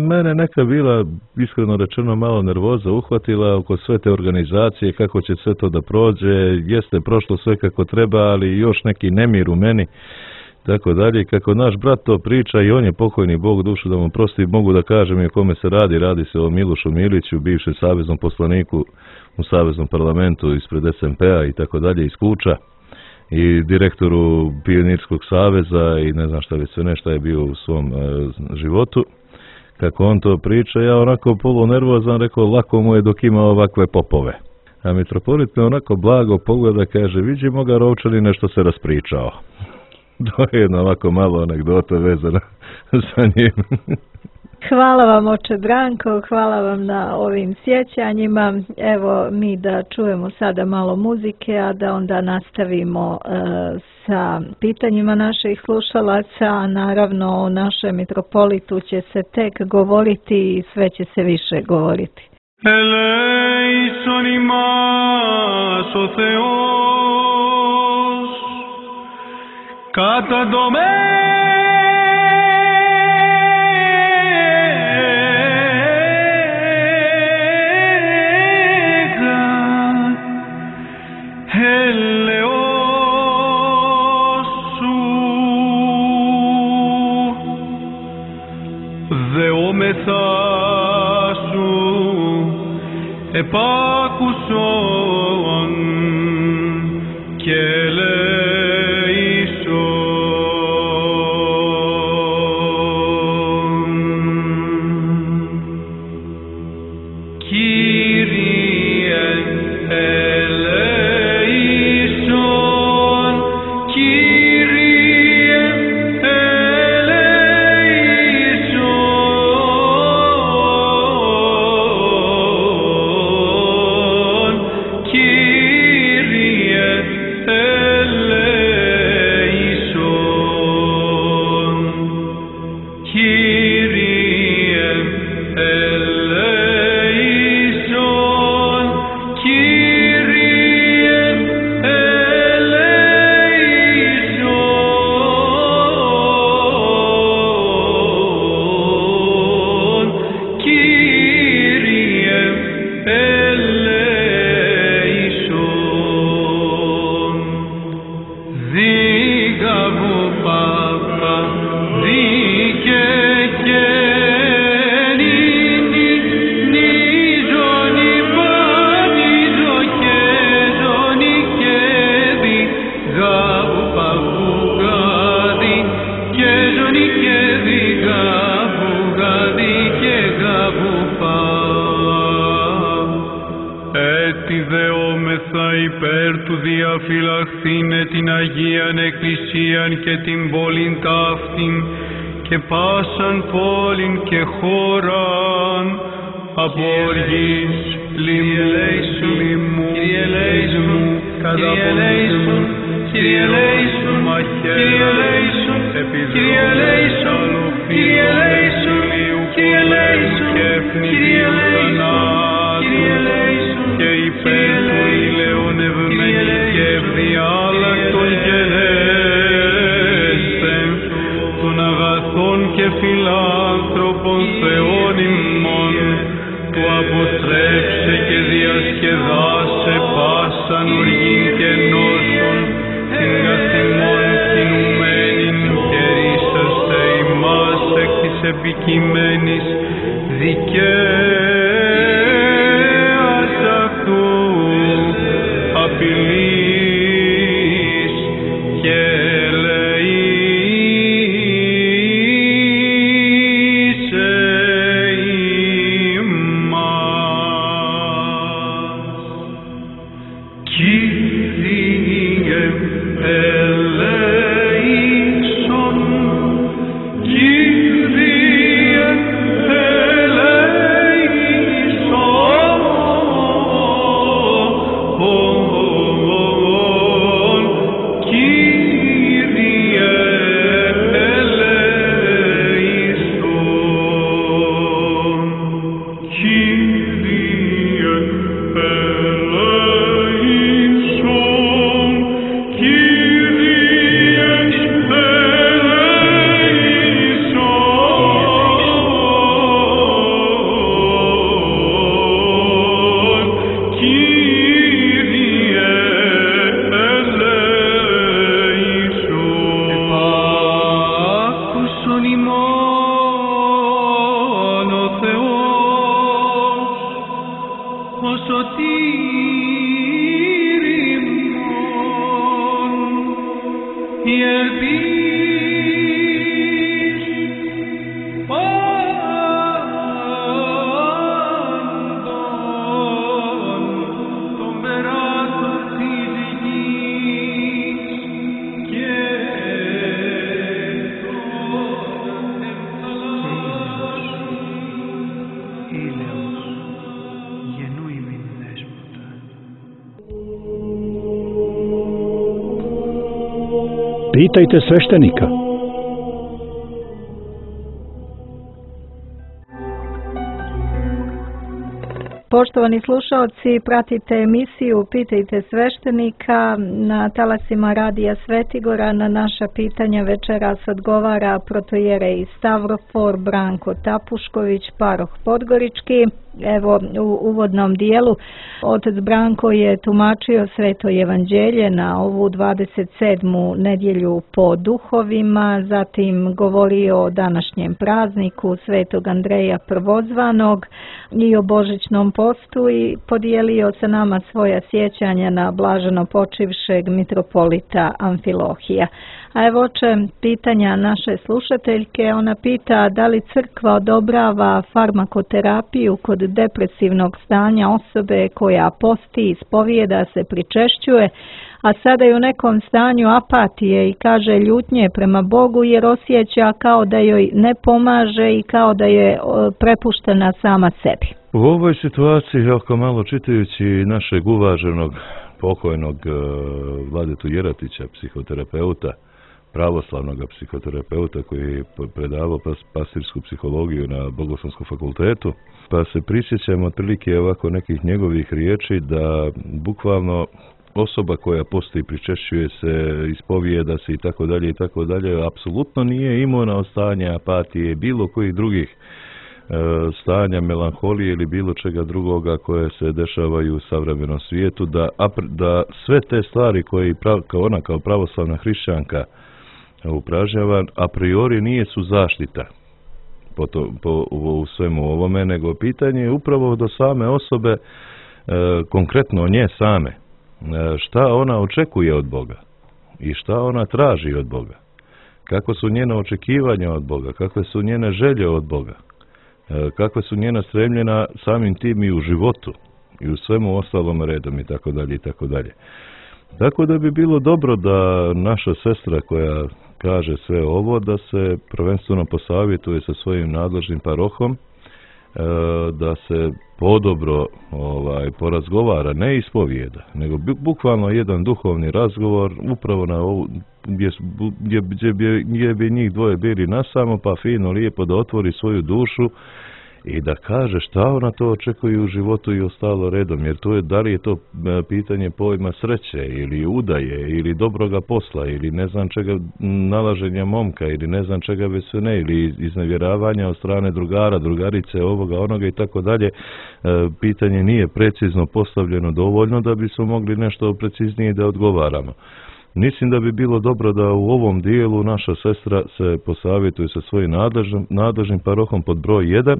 mene neka bila, iskreno rečeno, malo nervoza uhvatila oko sve te organizacije, kako će sve to da prođe, jeste prošlo sve kako treba, ali još neki nemir u meni, tako dalje. Kako naš brat to priča, i on je pokojni, Bog dušu da mu prosti, mogu da kažem i o kome se radi se o Milošu Miliću, bivšem saveznom poslaniku u Saveznom parlamentu ispred SMP-a i tako dalje, iz Kuča, i direktoru Pionirskog saveza i ne znam šta već sve nešto je bio u svom životu. Kako on to priča, ja onako polunervozan rekao, lako mu je dok ima ovakve popove. A mitropolit me onako blago pogleda, kaže, vidimo ga Rovčani nešto se raspričao. To je jedna ovako malo anegdota vezana sa njim. Hvala vam, oče Branko, hvala vam na ovim sjećanjima. Evo, mi da čujemo sada malo muzike, a da onda nastavimo sa pitanjima naših slušalaca, a naravno o našem mitropolitu će se tek govoriti i sve će se više govoriti. Eleison imás o Θεός, κατά επάκουσον και ελέησον. Κύριε ελέησον, Κύριε υπέρ του διαφυλαχθήνε την Αγίαν Εκκλησίαν και την πόλην ταύτην και πάσαν πόλην και χώραν από οργής λοιμού, καταποντούν, μαχαίρων, επιδρόμων, αλοφίων, ηλίου και ευνηδίου θανάτου και υπέρ του ηλαιών ευμένη και ευδιάλακτον γενέσθεν των αγαθών και φιλάνθρωπων Θεών ημών που αποτρέψε και διασκεδάσε πάσαν οργήν και νόσων την καθημών κινουμένην και ρίσαστε ημάς εκ της επικειμένης δικαίας αυτού απειλής και ελεήσε ημάς. Κύριε ελέησον, Κύριε ελέησον, Pitajte sveštenika. Poštovani slušaoci, pratite emisiju Pitajte sveštenika na talasima Radija Svetigora. Na naša pitanja večeras odgovara protojerej Stavrofor Branko Tapušković, paroh Podgorički. Evo, u uvodnom dijelu otac Branko je tumačio Sveto evanđelje na ovu 27. nedjelju po duhovima, zatim govorio o današnjem prazniku Svetog Andreja Prvozvanog i o božićnom postu i podijelio sa nama svoja sjećanja na blaženo počivšeg mitropolita Amfilohija. A evo pitanja naše slušateljke. Ona pita da li crkva odobrava farmakoterapiju kod depresivnog stanja osobe koja posti, ispovijeda se, pričešćuje, a sada je u nekom stanju apatije i kaže ljutnje prema Bogu jer osjeća kao da joj ne pomaže i kao da je prepuštena sama sebi. U ovoj situaciji, ako malo čitajući našeg uvaženog pokojnog Vladetu Jeratića, psihoterapeuta, pravoslavnog psihoterapeuta koji je predavao pastirsku psihologiju na Bogoslovskom fakultetu, pa se prisjećamo otprilike ovako nekih njegovih riječi da bukvalno osoba koja postoji, pričešćuje se, ispovijeda se i tako dalje, apsolutno nije imuna od stanja apatije, bilo kojih drugih stanja melanholije ili bilo čega drugoga koje se dešavaju u savremenom svijetu, da sve te stvari koje ona kao pravoslavna hrišćanka upražnjava, a priori nije su zaštita u svemu ovome, nego pitanje je upravo do same osobe, konkretno nje same, šta ona očekuje od Boga i šta ona traži od Boga, kako su njena očekivanja od Boga, kakve su njene želje od Boga, kakve su njena stremljena samim tim i u životu i u svemu ostalom redom i tako dalje i tako dalje. Tako da bi bilo dobro da naša sestra koja kaže sve ovo, da se prvenstveno posavjetuje sa svojim nadležnim parohom, da se podobro porazgovara, ne ispovijeda, nego bukvalno jedan duhovni razgovor upravo na ovu, gdje bi njih dvoje bili nasamo, pa fino, lijepo da otvori svoju dušu i da kaže šta ona to očekuje u životu i ostalo redom, jer to je, da li je to pitanje pojma sreće ili udaje ili dobroga posla ili ne znam čega, nalaženja momka ili ne znam čega već sve ne, ili iznevjeravanja od strane drugara, drugarice, ovoga, onoga i tako dalje. Pitanje nije precizno postavljeno dovoljno da bismo mogli nešto preciznije da odgovaramo. Mislim da bi bilo dobro da u ovom dijelu naša sestra se posavjetuje sa svojim nadležnim parohom pod broj 1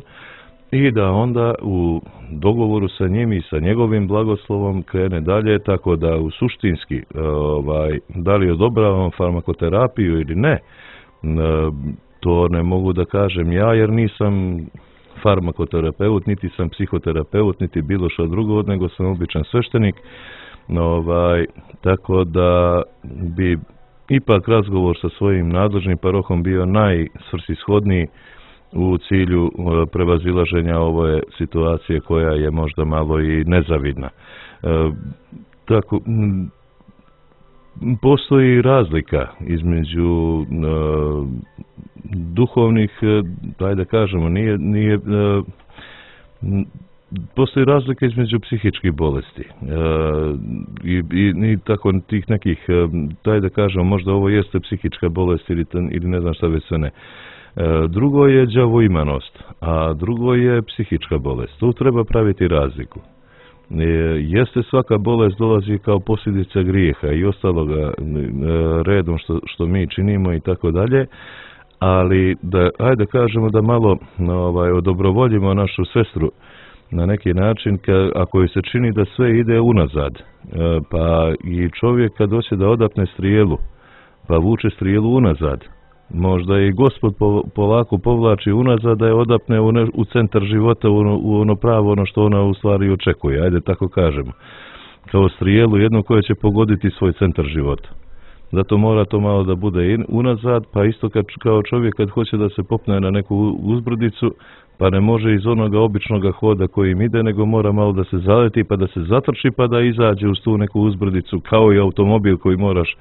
i da onda u dogovoru sa njim i sa njegovim blagoslovom krene dalje, tako da u suštinski da li odobravamo farmakoterapiju ili ne, to ne mogu da kažem ja jer nisam farmakoterapeut, niti sam psihoterapeut, niti bilo što drugo, nego sam običan sveštenik. Tako da bi ipak razgovor sa svojim nadležnim parohom bio najsvrsishodniji u cilju prevazilaženja ove situacije koja je možda malo i nezavidna. Tako, postoji razlika između duhovnih, da kažemo, postoji razlika između psihičkih bolesti i tako tih nekih, da kažemo, možda ovo jeste psihička bolest ili ne znam šta već sve ne. Drugo je đavoimanost, a drugo je psihička bolest. Tu treba praviti razliku. Jeste svaka bolest dolazi kao posljedica grijeha i ostaloga redom što mi činimo i tako dalje, ali da kažemo da malo odobrovoljimo našu sestru na neki način, ako joj se čini da sve ide unazad, pa i čovjek kad hoće da odapne strijelu, pa vuče strijelu unazad, možda i Gospod polako povlači unazad da je odapne u centar života, u ono pravo, ono što ona u stvari očekuje, ajde tako kažemo, kao strijelu jednu koja će pogoditi svoj centar života. Zato mora to malo da bude unazad, pa isto kao čovjek kad hoće da se popne na neku uzbrdicu, pa ne može iz onoga običnog hoda kojim ide, nego mora malo da se zaleti, pa da se zatrči, pa da izađe uz tu neku uzbrdicu, kao i automobil koji moraš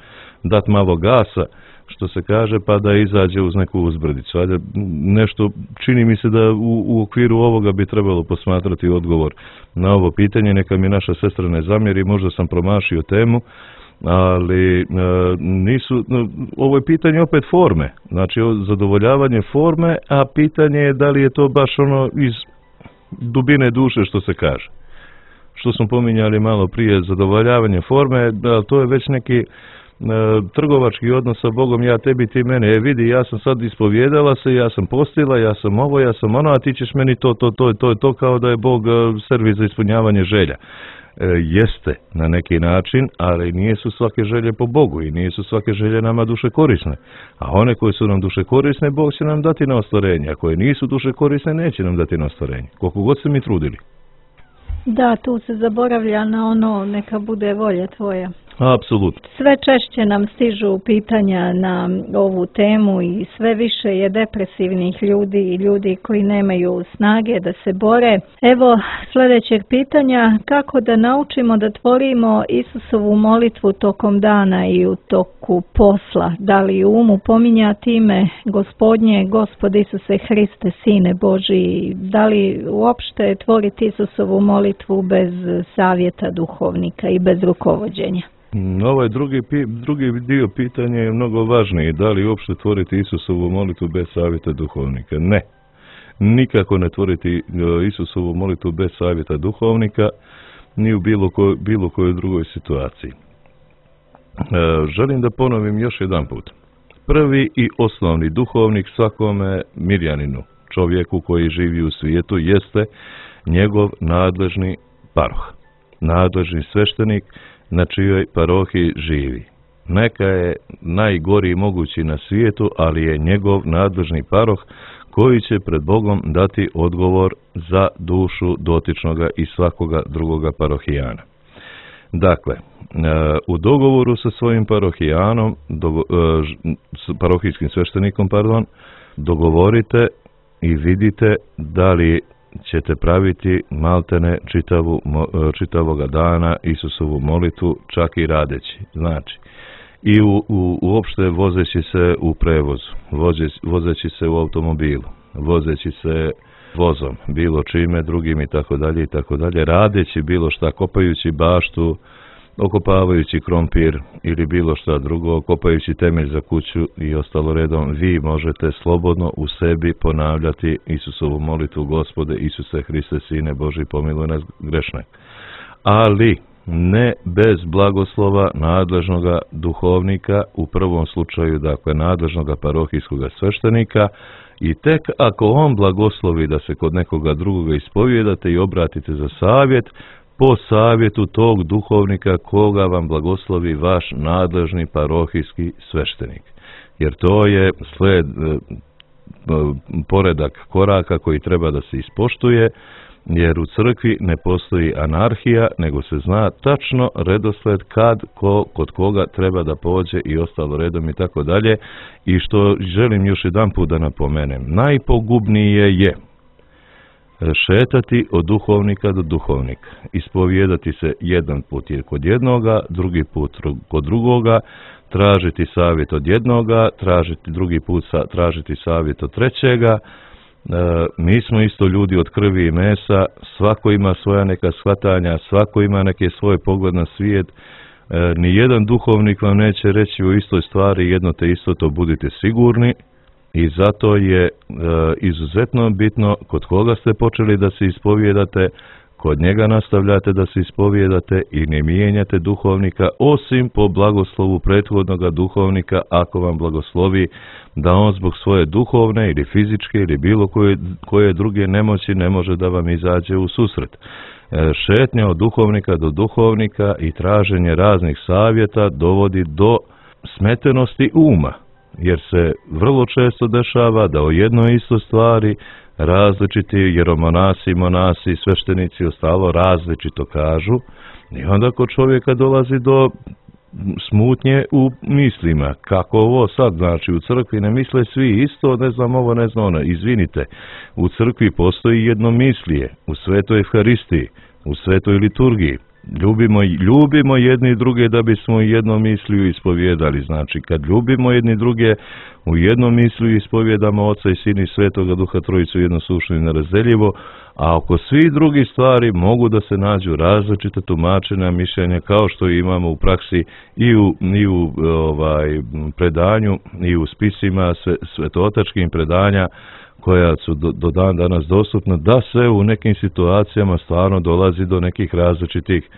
dati malo gasa, što se kaže, pa da izađe uz neku uzbrdicu. Ajde, nešto, čini mi se da u okviru ovoga bi trebalo posmatrati odgovor na ovo pitanje, neka mi naša sestra ne zamjeri, možda sam promašio temu, ali ovo je pitanje opet forme, znači zadovoljavanje forme, a pitanje je da li je to baš ono iz dubine duše što se kaže. Što smo pominjali malo prije, zadovoljavanje forme, to je već neki trgovački odnos sa Bogom, ja tebi, ti mene, vidi, ja sam sad ispovjedala se, ja sam postila, ja sam ovo, ja sam ono, a ti ćeš meni to kao da je Bog servis za ispunjavanje želja. Jeste na neki način, ali nije su svake želje po Bogu i nije su svake želje nama duše korisne. A one koje su nam duše korisne, Bog će nam dati na ostvarenje, a koje nisu duše korisne, neće nam dati na ostvarenje, koliko god se mi trudili. Da, tu se zaboravlja na ono, neka bude volja tvoja. Apsolutno. Sve češće nam stižu pitanja na ovu temu i sve više je depresivnih ljudi i ljudi koji nemaju snage da se bore. Evo sljedećeg pitanja, kako da naučimo da tvorimo Isusovu molitvu tokom dana i u toku posla? Da li u umu pominjati ime Gospodnje, Gospod Isuse Hriste, Sine Božji? Da li uopšte tvoriti Isusovu molitvu bez savjeta duhovnika i bez rukovođenja? Ovaj drugi dio pitanja je mnogo važniji. Da li uopšte tvoriti Isusovu molitvu bez savjeta duhovnika? Ne. Nikako ne tvoriti Isusovu molitvu bez savjeta duhovnika, ni u bilo kojoj drugoj situaciji. Želim da ponovim još jedan put. Prvi i osnovni duhovnik svakome mirjaninu, čovjeku koji živi u svijetu, jeste njegov nadležni paroh, nadležni sveštenik na čijoj parohiji živi. Neka je najgori mogući na svijetu, ali je njegov nadležni paroh koji će pred Bogom dati odgovor za dušu dotičnoga i svakoga drugoga parohijana. Dakle, u dogovoru sa svojim parohijanom, parohijskim sveštenikom, dogovorite i vidite da li ćete praviti maltene čitavoga dana Isusovu molitvu, čak i radeći. Znači, i uopšte vozeći se u prevozu, vozeći se u automobilu, vozeći se vozom, bilo čime drugim i tako dalje, radeći bilo šta, kopajući baštu, okopavajući krompir ili bilo šta drugo, kopajući temelj za kuću i ostalo redom, vi možete slobodno u sebi ponavljati Isusovu molitvu: Gospode Isuse Hriste, Sine Božji, pomiluj nas grešne. Ali ne bez blagoslova nadležnoga duhovnika, u prvom slučaju, dakle, nadležnoga parohijskoga sveštenika, i tek ako on blagoslovi da se kod nekoga drugoga ispovijedate i obratite za savjet, po savjetu tog duhovnika koga vam blagoslovi vaš nadležni parohijski sveštenik. Jer to je poredak koraka koji treba da se ispoštuje, jer u crkvi ne postoji anarhija, nego se zna tačno redosled kod koga treba da pođe i ostalo redom i tako dalje. I što želim još jedan put da napomenem, najpogubnije je šetati od duhovnika do duhovnika, ispovijedati se jedan put kod jednoga, drugi put kod drugoga, tražiti savjet od jednoga, drugi put tražiti savjet od trećega. Mi smo isto ljudi od krvi i mesa, svako ima svoja neka shvatanja, svako ima neke svoje pogled na svijet. Nijedan duhovnik vam neće reći o istoj stvari jedno te isto, to budite sigurni. I zato je izuzetno bitno kod koga ste počeli da se ispovijedate, kod njega nastavljate da se ispovijedate i ne mijenjate duhovnika, osim po blagoslovu prethodnoga duhovnika, ako vam blagoslovi da on zbog svoje duhovne ili fizičke ili bilo koje druge nemoći ne može da vam izađe u susret. Šetnja od duhovnika do duhovnika i traženje raznih savjeta dovodi do smetenosti uma, jer se vrlo često dešava da o jednoj istoj stvari različiti jeromonasi, monasi, sveštenici ostalo različito kažu i onda kod čovjeka dolazi do smutnje u mislima. Kako ovo sad, znači u crkvi ne misle svi isto, ne znam ovo, ne znam ono. Izvinite, u crkvi postoji jednomislije, u svetoj Evharistiji, u svetoj liturgiji. Ljubimo jedni druge da bismo jednom misliju ispovjedali. Znači, kad ljubimo jedni druge, u jednom misliju ispovjedamo Oca i Sina i Svetoga Duha Trojicu jednosušno i nerazdeljivo, a oko svih drugih stvari mogu da se nađu različite tumačenja, mišljenja, kao što imamo u praksi i u predanju i u spisima svetootačkim predanja koja su do dan danas dostupna, da se u nekim situacijama stvarno dolazi do nekih različitih,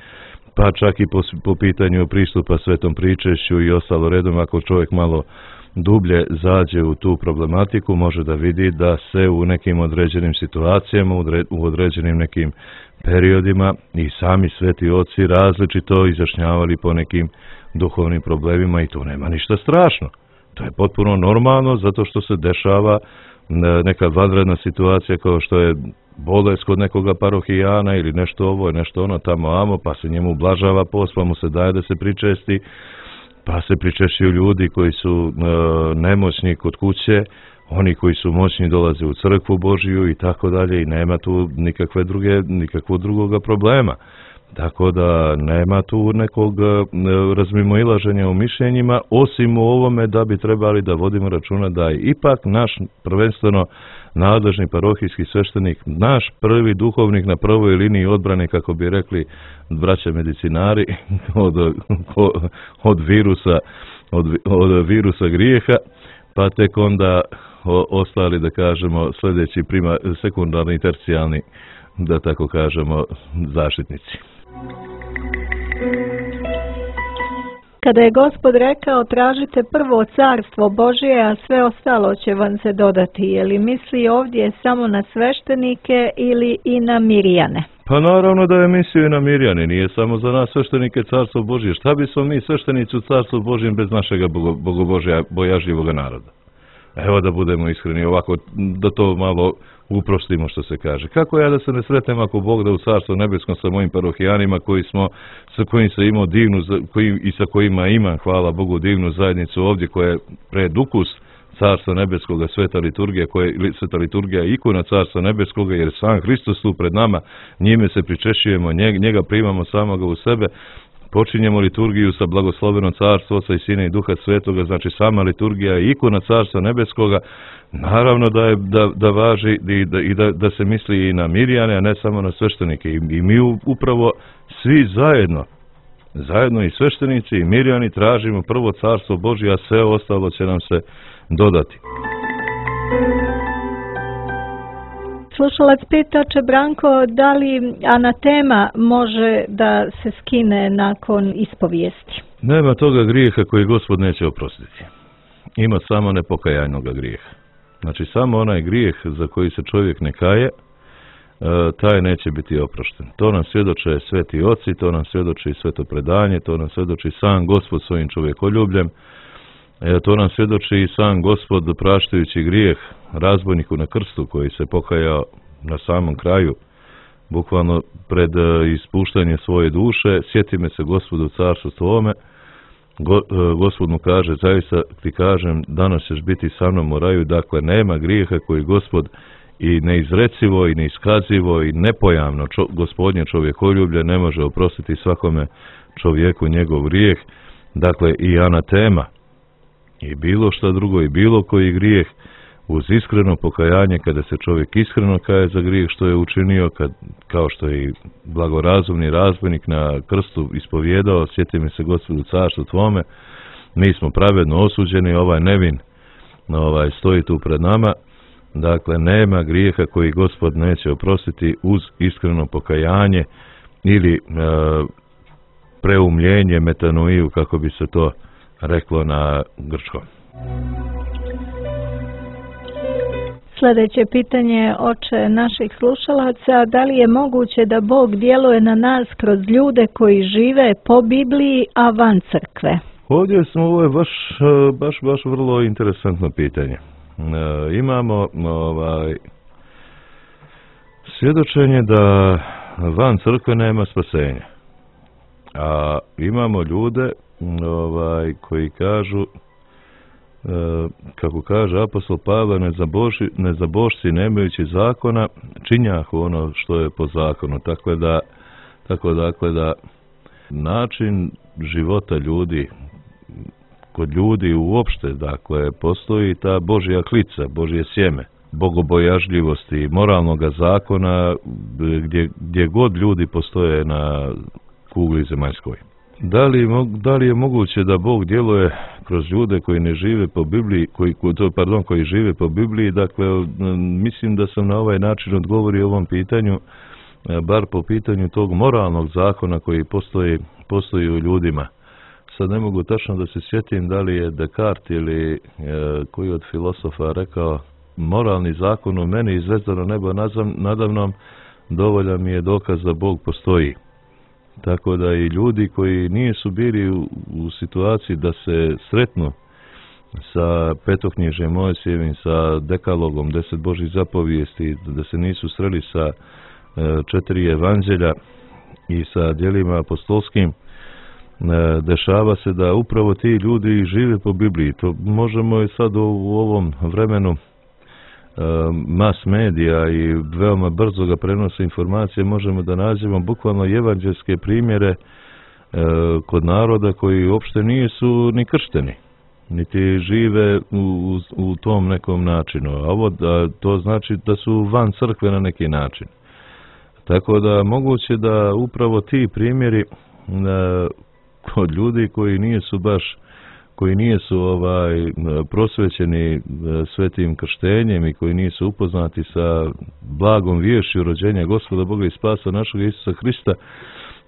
pa čak i po pitanju pristupa svetom pričešću i ostalo redom, ako čovjek malo dublje zađe u tu problematiku, može da vidi da se u nekim određenim situacijama, u određenim nekim periodima i sami sveti oci različito izjašnjavali po nekim duhovnim problemima i tu nema ništa strašno. To je potpuno normalno zato što se dešava neka vanredna situacija kao što je bolest kod nekoga parohijana ili nešto ovo i nešto ono tamo amo, pa se njemu ublažava post, pa mu se daje da se pričesti, pa se pričešćuju ljudi koji su nemoćni kod kuće, oni koji su moćni dolaze u crkvu Božiju i tako dalje i nema tu nikakvog drugoga problema. Tako da nema tu nekog razmimoilaženja u mišljenjima, osim u ovome da bi trebali da vodimo računa da je ipak naš prvenstveno nadležni parohijski sveštenik, naš prvi duhovnik na prvoj liniji odbrane, kako bi rekli braća medicinari, od virusa grijeha, pa tek onda ostali, da kažemo, sljedeći sekundarni i tercijalni, da tako kažemo, zaštitnici. Kada je Gospod rekao tražite prvo carstvo Božje, a sve ostalo će vam se dodati, je li misli ovdje samo na sveštenike ili i na Mirjane? Pa naravno da je mislio i na Mirjane, nije samo za nas sveštenike carstvo Božje. Šta bismo mi sveštenici u carstvu Božjem bez našega bogobojažljivoga naroda? Evo da budemo iskreni ovako, da to malo uprostimo što se kaže. Kako ja da se ne sretnem ako Bog da u carstvu nebeskom sa mojim parohijanima sa kojim se imao i sa kojima imam, hvala Bogu, divnu zajednicu ovdje koja je predukus carstva nebeskoga, sveta liturgija je ikona carstva nebeskoga, jer sam Hristos tu pred nama, njime se pričešćujemo, njega primamo samoga u sebe. Počinjemo liturgiju sa blagoslovenom carstvo Oca i Sina i Duha Svetoga, znači sama liturgija je ikona carstva nebeskoga. Naravno da važi i da se misli i na Mirjane, a ne samo na sveštenike. I mi upravo svi zajedno i sveštenici i Mirjani tražimo prvo carstvo Božje, a sve ostalo će nam se dodati. Slušalac pita, oče Branko, da li anatema može da se skine nakon ispovijesti? Nema toga grijeha koji Gospod neće oprostiti. Ima samo nepokajajnoga grijeha. Znači samo onaj grijeh za koji se čovjek ne kaje, taj neće biti oprošten. To nam svjedoče sveti oci, to nam svjedoči sveto predanje, to nam svjedoči sam Gospod svojim čovjekoljubljem, to nam svjedoči i sam Gospod praštajući grijeh razbojniku na krstu koji se pokajao na samom kraju, bukvalno pred ispuštanje svoje duše. Sjeti me se Gospodu u carstvu tvome. Gospod mu kaže, zaista ti kažem, danas ćeš biti sa mnom u raju. Dakle, nema grijeha koji Gospod i neizrecivo i neiskazivo i nepojamno Gospodnje čovjekoljublje ne može oprostiti svakome čovjeku njegov grijeh. Dakle, i anatema i bilo šta drugo i bilo koji grijeh, uz iskreno pokajanje, kada se čovjek iskreno kaje za grijeh što je učinio, kao što je i blagorazumni razbojnik na krstu ispovjedao, sjeti mi se Gospodu carstvu tvome, mi smo pravedno osuđeni, ovaj nevin stoji tu pred nama, Dakle, nema grijeha koji Gospod neće oprostiti uz iskreno pokajanje ili preumljenje, metanoiju, kako bi se to reklo na grčkom. Sljedeće pitanje, oče naših slušalaca, da li je moguće da Bog djeluje na nas kroz ljude koji žive po Bibliji, a van crkve? Ovo je baš vrlo interesantno pitanje. Imamo svjedočenje da van crkve nema spasenja. A imamo ljude koji kažu, kako kaže apostol Pavle, nezabožci nemajući zakona činjahu ono što je po zakonu. Tako da način života ljudi, kod ljudi uopšte, dakle, postoji ta Božja klica, Božje sjeme, bogobojažljivosti, moralnoga zakona gdje god ljudi postoje na kugli zemaljskoj. Da li je moguće da Bog djeluje kroz ljude koji ne žive po Bibliji, koji žive po Bibliji? Dakle, mislim da sam na ovaj način odgovorio ovom pitanju, bar po pitanju tog moralnog zakona koji postoji u ljudima. Sad ne mogu tačno da se sjetim da li je Descartes ili koji od filosofa rekao, moralni zakon u meni i zvezdano nebo nadamnom dovoljan mi je dokaz da Bog postoji. Tako da i ljudi koji nisu bili u situaciji da se sretnu sa petoknjižjem Mojsijevim, sa dekalogom, 10 Božjih zapovijesti, da se nisu sreli sa 4 evanđelja i sa djelima apostolskim, dešava se da upravo ti ljudi žive po Bibliji. To možemo i sad u ovom vremenu mas medija i veoma brzo ga prenose informacije, možemo da nađemo bukvalno evanđelske primjere kod naroda koji uopšte nisu ni kršteni, niti žive u tom nekom načinu. A to znači da su van crkve na neki način. Tako da moguće da upravo ti primjeri kod ljudi koji nisu prosvećeni svetim krštenjem i koji nisu upoznati sa blagom viješću rođenja Gospoda Boga i spasa našeg Isusa Hrista,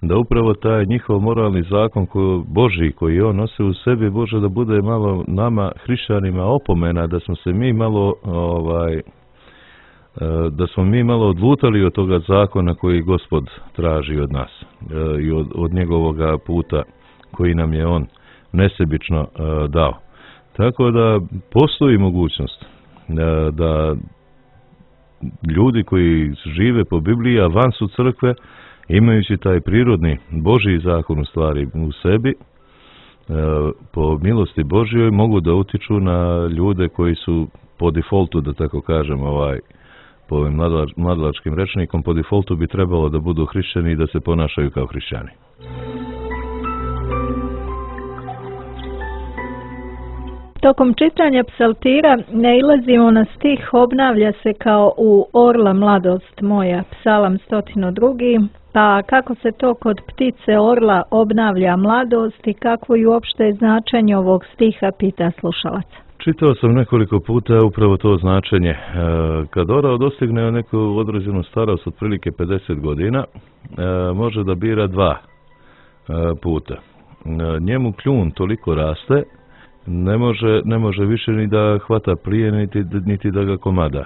da upravo taj njihov moralni zakon Božji koji on nosi u sebi, Bože, da bude malo nama hrišćanima opomena da smo se mi malo odlutali od toga zakona koji Gospod traži od nas i od njegovoga puta koji nam je on nesebično dao. Tako da postoji mogućnost da ljudi koji žive po Bibliji, a van su crkve, imajući taj prirodni Božji zakon u stvari u sebi, po milosti Božjoj mogu da utiču na ljude koji su po defaultu, da tako kažem, po ovim mladalačkim rečnikom, po defaultu bi trebalo da budu hrišćani i da se ponašaju kao hrišćani. Tokom čitanja psaltira nailazimo na stih obnavlja se kao u orla mladost moja, psalam 102. Pa kako se to kod ptice orla obnavlja mladost i kako je uopšte značenje ovog stiha, pita slušalac. Čitao sam nekoliko puta upravo to značenje. Kad orao dostigne neku određenu starost, otprilike 50 godina, može da bira 2 puta. Njemu kljun toliko raste, ne može više ni da hvata prije, niti da ga komada.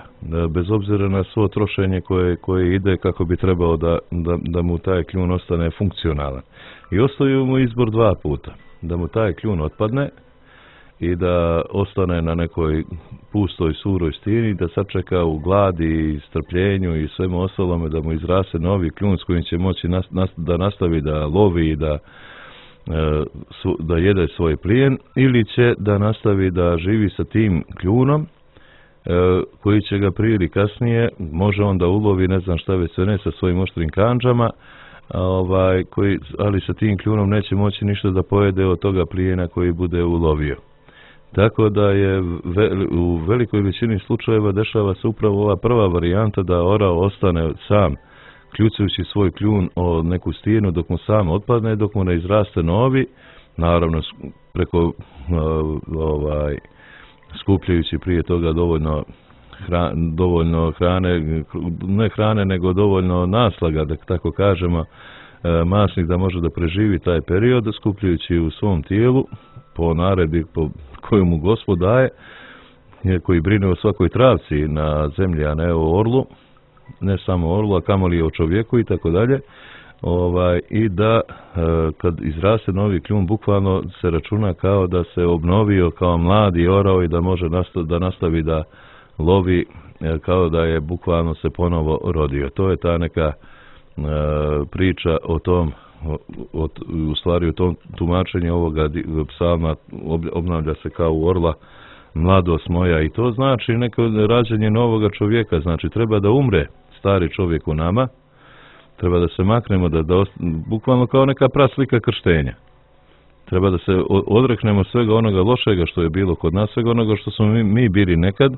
Bez obzira na svo trošenje koje ide kako bi trebao da mu taj kljun ostane funkcionalan. I ostaju mu izbor 2 puta. Da mu taj kljun otpadne i da ostane na nekoj pustoj, suroj stini, da sačeka u gladi i strpljenju i svemu ostalome da mu izraste novi kljun s kojim će moći da nastavi da lovi i da jede svoj plijen, ili će da nastavi da živi sa tim kljunom koji će ga prije ili kasnije, može on da ulovi ne znam šta već sve ne sa svojim oštrim kandžama, ali sa tim kljunom neće moći ništa da pojede od toga plijena koji bude ulovio. Tako da je u velikoj većini slučajeva dešava se upravo ova prva varijanta, da orao ostane sam kljucajući svoj kljun o neku stijenu dok mu sam otpadne, dok mu ne izraste novi, naravno preko skupljajući prije toga dovoljno dovoljno hrane, ne hrane nego dovoljno naslaga, da tako kažemo, masnih da može da preživi taj period, skupljujući u svom tijelu po naredbi po koju mu Gospod daje, koji brine o svakoj travci na zemlji, a ne o orlu, ne samo orlu, a kamoli o čovjeku i tako dalje. I da kad izraste novi kljun, bukvalno se računa kao da se obnovio kao mladi orao i da može da nastavi da lovi kao da je bukvalno se ponovo rodio. To je ta neka priča o tom, u stvari u tom tumačenju ovoga psalma obnavlja se kao u orla mladost moja, i to znači neko rađenje novoga čovjeka. Znači treba da umre stari čovjek u nama, treba da se maknemo, bukvalno kao neka praslika krštenja. Treba da se odreknemo svega onoga lošega što je bilo kod nas, svega onoga što smo mi bili nekad,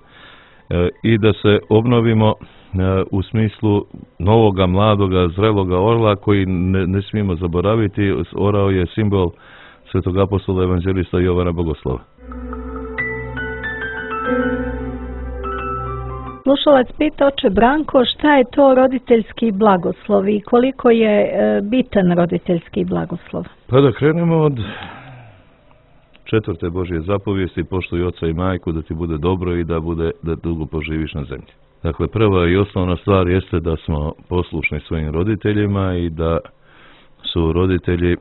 i da se obnovimo u smislu novoga, mladoga, zreloga orla koji ne smijemo zaboraviti. Orao je simbol svetog apostola evanđelista Jovana Bogoslova. Slušalac pita, oče Branko, šta je to roditeljski blagoslov i koliko je bitan roditeljski blagoslov? Pa da krenemo od 4. Božje zapovijesti: poštuj oca i majku da ti bude dobro i da dugo poživiš na zemlji. Dakle, prva i osnovna stvar jeste da smo poslušni svojim roditeljima i da su roditelji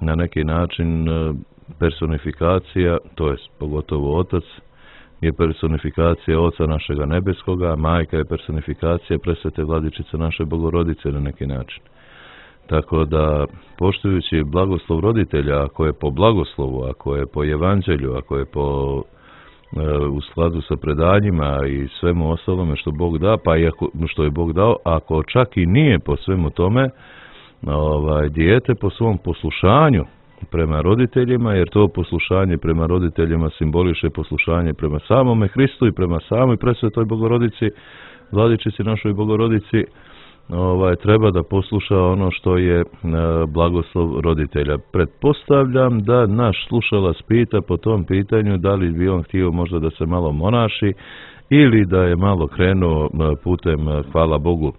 na neki način personifikacija, to je pogotovo otac je personifikacija Oca našega nebeskoga, a majka je personifikacija presvete Vladičice naše Bogorodice na neki način. Tako da, poštujući blagoslov roditelja, ako je po blagoslovu, ako je po evanđelju, ako je u skladu sa predanjima i svemu ostalome što Bog da, pa i što je Bog dao, ako čak i nije po svemu tome, dijete po svom poslušanju prema roditeljima, jer to poslušanje prema roditeljima simboliše poslušanje prema samome Hristu i prema samoj presvetoj Bogorodici, Vladičici našoj Bogorodici, treba da posluša ono što je blagoslov roditelja. Pretpostavljam da naš slušalac pita po tom pitanju da li bi on htio možda da se malo monaši ili da je malo krenuo putem, hvala Bogu,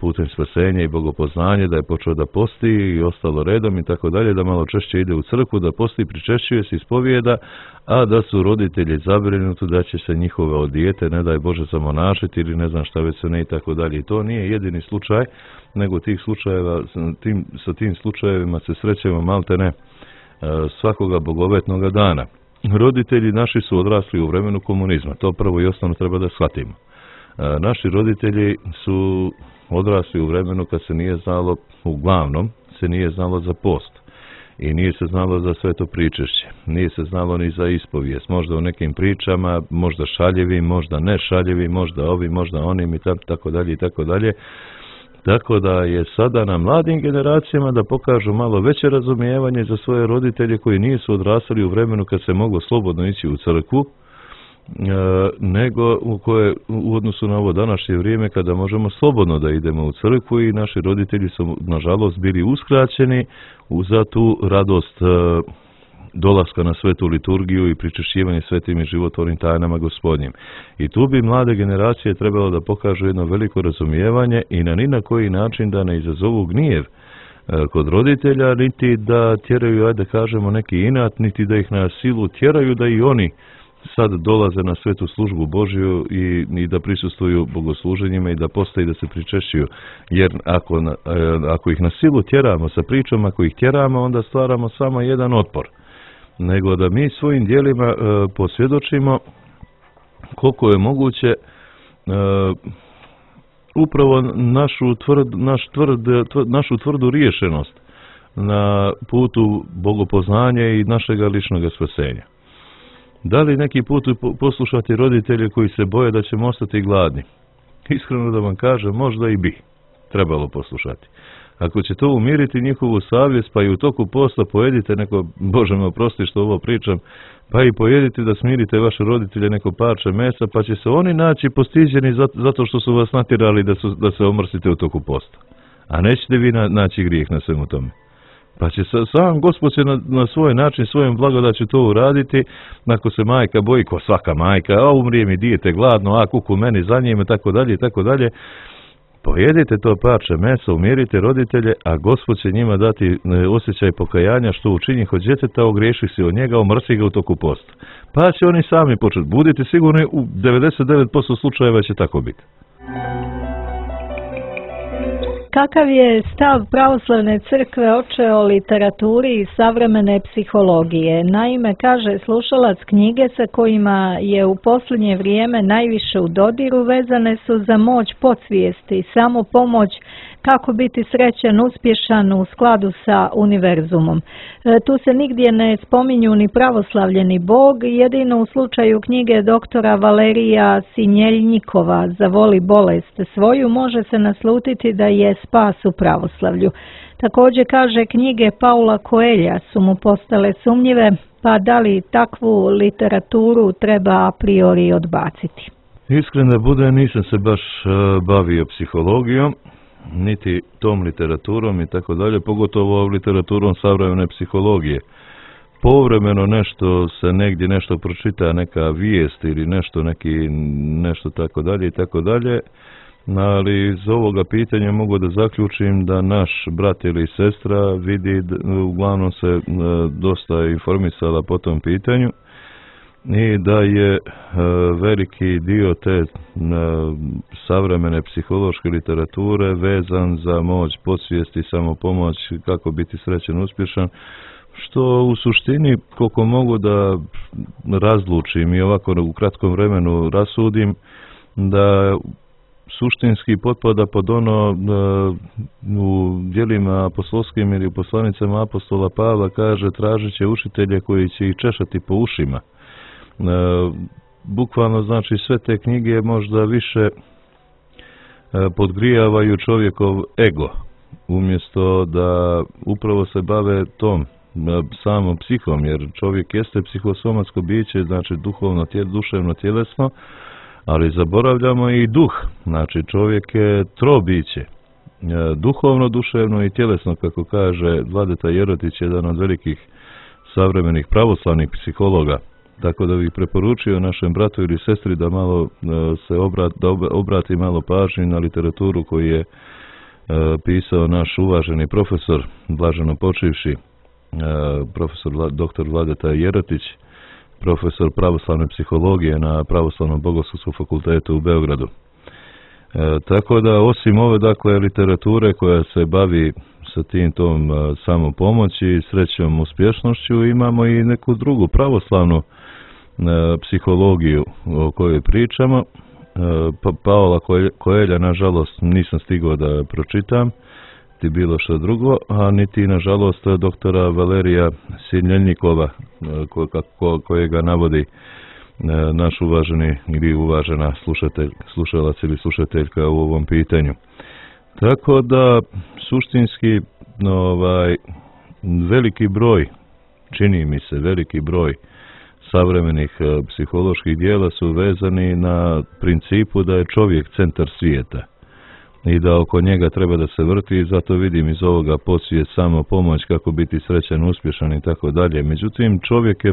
putem spasenja i bogopoznanja, da je počeo da posti i ostalo redom i tako dalje, da malo češće ide u crkvu, da posti, pričešćuje se, ispovijeda, a da su roditelji zabrinuti da će se njihove dijete, ne daj Bože, zamonašiti ili ne znam šta već se ne i tako dalje. I to nije jedini slučaj, nego tih slučajeva, sa tim slučajevima se srećemo maltene svakoga bogovetnoga dana. Roditelji naši su odrasli u vremenu komunizma, to prvo i osnovno treba da shvatimo. Naši roditelji su odrasli u vremenu kad se nije znalo, uglavnom se nije znalo za post i nije se znalo za sveto pričešće, nije se znalo ni za ispovijest, možda u nekim pričama, možda šaljivim, možda ne šaljivim, možda ovim, možda onim i tako dalje i tako dalje. Tako da je sada na mladim generacijama da pokažu malo veće razumijevanje za svoje roditelje koji nisu odrastali u vremenu kad se moglo slobodno ići u crkvu, nego u odnosu na ovo današnje vrijeme kada možemo slobodno da idemo u crkvu i naši roditelji su nažalost bili uskraćeni za tu radost dolaska na svetu liturgiju i pričešćivanje svetim i životvornim tajnama Gospodnjim. I tu bi mlade generacije trebalo da pokažu jedno veliko razumijevanje i ni na koji način da ne izazovu gnjev kod roditelja, niti da tjeraju, ajde kažemo, neki inat, niti da ih na silu tjeraju da i oni sad dolaze na svetu službu Božju i da prisustvuju bogosluženjima i da postoji da se pričešćuju. Jer ako ih na silu tjeramo sa pričom, ako ih tjeramo, onda stvaramo samo jedan otpor. Nego da mi svojim djelima posvjedočimo koliko je moguće upravo našu tvrdu riješenost na putu bogopoznanja i našega ličnog spasenja. Da li neki put poslušati roditelje koji se boje da ćemo ostati gladni? Iskreno da vam kažem, možda i bi trebalo poslušati. Ako će to umiriti njihovu savjest, pa i u toku posta pojedite neko, Bože me oprosti što ovo pričam, pa i pojedite da smirite vaše roditelje neko parče mesa, pa će se oni naći postiđeni zato što su vas natjerali da se omrsite u toku posta. A nećete vi naći grijeh na svemu tome. Pa će sam Gospod će na svoj način, svojom blagodaću to uraditi. Ako se majka boji, ko svaka majka, umrije mi dijete gladno, kuku meni za njim, i tako dalje, i tako dalje. Pojedite to parče mesa, umirite roditelje, a Gospod će njima dati osjećaj pokajanja što učini kod djeteta, ogriješi se od njega, omrsi ga u toku posta. Pa će oni sami početi. Budite sigurni, u 99% slučajeva će tako biti. Kakav je stav pravoslavne crkve oče o literaturi i savremene psihologije? Naime, kaže slušalac, knjige sa kojima je u posljednje vrijeme najviše u dodiru vezane su za moć podsvijesti, samopomoć, kako biti srećan, uspješan u skladu sa univerzumom. Tu se nigdje ne spominju ni pravoslavlje ni Bog, jedino u slučaju knjige doktora Valerija Sinjeljnikova Zavoli bolest svoju može se naslutiti da je spas u pravoslavlju. Također kaže knjige Paula Coelha su mu postale sumnjive, pa da li takvu literaturu treba a priori odbaciti? Iskren da bude, nisam se baš bavio psihologijom, niti tom literaturom i tako dalje, pogotovo literaturom savremene psihologije. Povremeno nešto se negdje nešto pročita, neka vijest ili nešto tako dalje i tako dalje, ali iz ovoga pitanja mogu da zaključim da naš brat ili sestra vidi, uglavnom se dosta informisala po tom pitanju i da je veliki dio te savremene psihološke literature vezan za moć podsvijesti, samopomoć, kako biti srećan, uspješan, što u suštini, koliko mogu da razlučim i ovako u kratkom vremenu rasudim, da suštinski potpada pod ono u djelima apostolskim ili u poslanicama apostola Pavla kaže tražit će učitelje koji će ih češati po ušima. Bukvalno znači sve te knjige možda više podgrijavaju čovjekov ego, umjesto da upravo se bave tom samom psihom, jer čovjek jeste psihosomatsko biće, znači duhovno, duševno, tjelesno, ali zaboravljamo i duh, znači čovjek je trobiće, duhovno, duševno i tjelesno, kako kaže Vladeta Jerotić, jedan od velikih savremenih pravoslavnih psihologa. Tako da bih preporučio našem bratu ili sestri da malo se obrati malo pažnju na literaturu koju je pisao naš uvaženi profesor, blaženo počivši, profesor dr. Vladeta Jerotić, profesor pravoslavne psihologije na Pravoslavnom bogoslovskom fakultetu u Beogradu. Tako da osim ove dakle literature koja se bavi sa tom samopomoći, srećom, uspješnošću, imamo i neku drugu pravoslavnu psihologiju o kojoj pričamo. Paola Coelha, nažalost, nisam stigao da pročitam, ti bilo što drugo, a niti, nažalost, doktora Valerija Sinjeljnikova, kojega navodi naš uvaženi ili uvažena slušalac ili slušateljka u ovom pitanju. Tako da, suštinski, veliki broj, čini mi se, veliki broj savremenih psiholoških dijela su vezani na principu da je čovjek centar svijeta i da oko njega treba da se vrti, i zato vidim iz ovoga podsvijest, samopomoć, kako biti srećan, uspješan i tako dalje. Međutim, čovjek je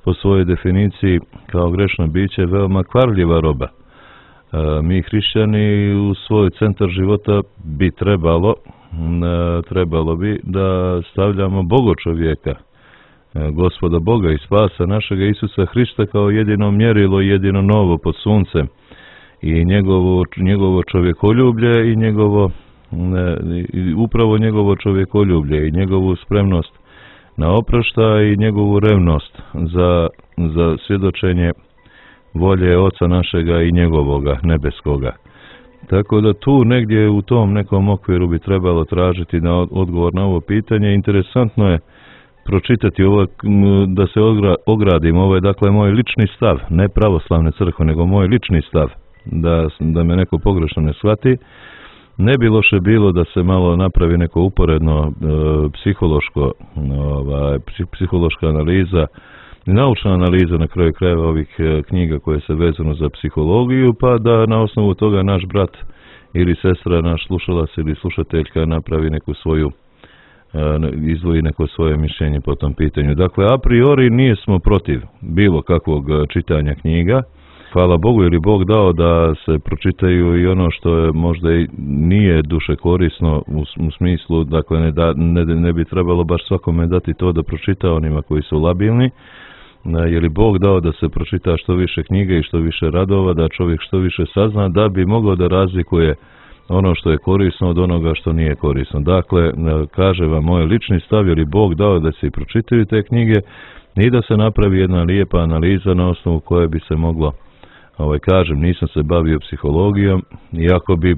po svojoj definiciji kao grešno biće veoma kvarljiva roba. Mi hrišćani u svoj centar života bi trebalo bi da stavljamo Boga čovjeka, Gospoda Boga i spasa našega Isusa Hrista kao jedino mjerilo i jedino novo pod suncem, i njegovo čovjekoljublje i upravo njegovo čovjekoljublje i njegovu spremnost na oproštaj i njegovu revnost za svjedočenje volje Oca našega i njegovoga nebeskoga. Tako da tu negdje u tom nekom okviru bi trebalo tražiti odgovor na ovo pitanje. Interesantno je pročitati ovo, da se ogradim, ovo je dakle moj lični stav, ne pravoslavne crkve, nego moj lični stav, da me neko pogrešno ne shvati. Ne bi loše bilo da se malo napravi neko uporedno psihološka analiza, naučna analiza na kraju krajeva ovih knjiga koje se vezano za psihologiju, pa da na osnovu toga naš brat ili sestra, naš slušalac ili slušateljka napravi neku svoju izdvoji neko svoje mišljenje po tom pitanju. Dakle, a priori nismo protiv bilo kakvog čitanja knjiga. Hvala Bogu, jer je Bog dao da se pročitaju i ono što je možda i nije duše korisno u smislu, dakle ne bi trebalo baš svakome dati to da pročita onima koji su labilni, jer je Bog dao da se pročita što više knjiga i što više radova, da čovjek što više sazna, da bi mogao da razlikuje ono što je korisno od onoga što nije korisno. Dakle, kaže vam moj lični stav, jer je Bog dao da se i pročitaju te knjige i da se napravi jedna lijepa analiza na osnovu koje bi se moglo, kažem, nisam se bavio psihologijom, iako bi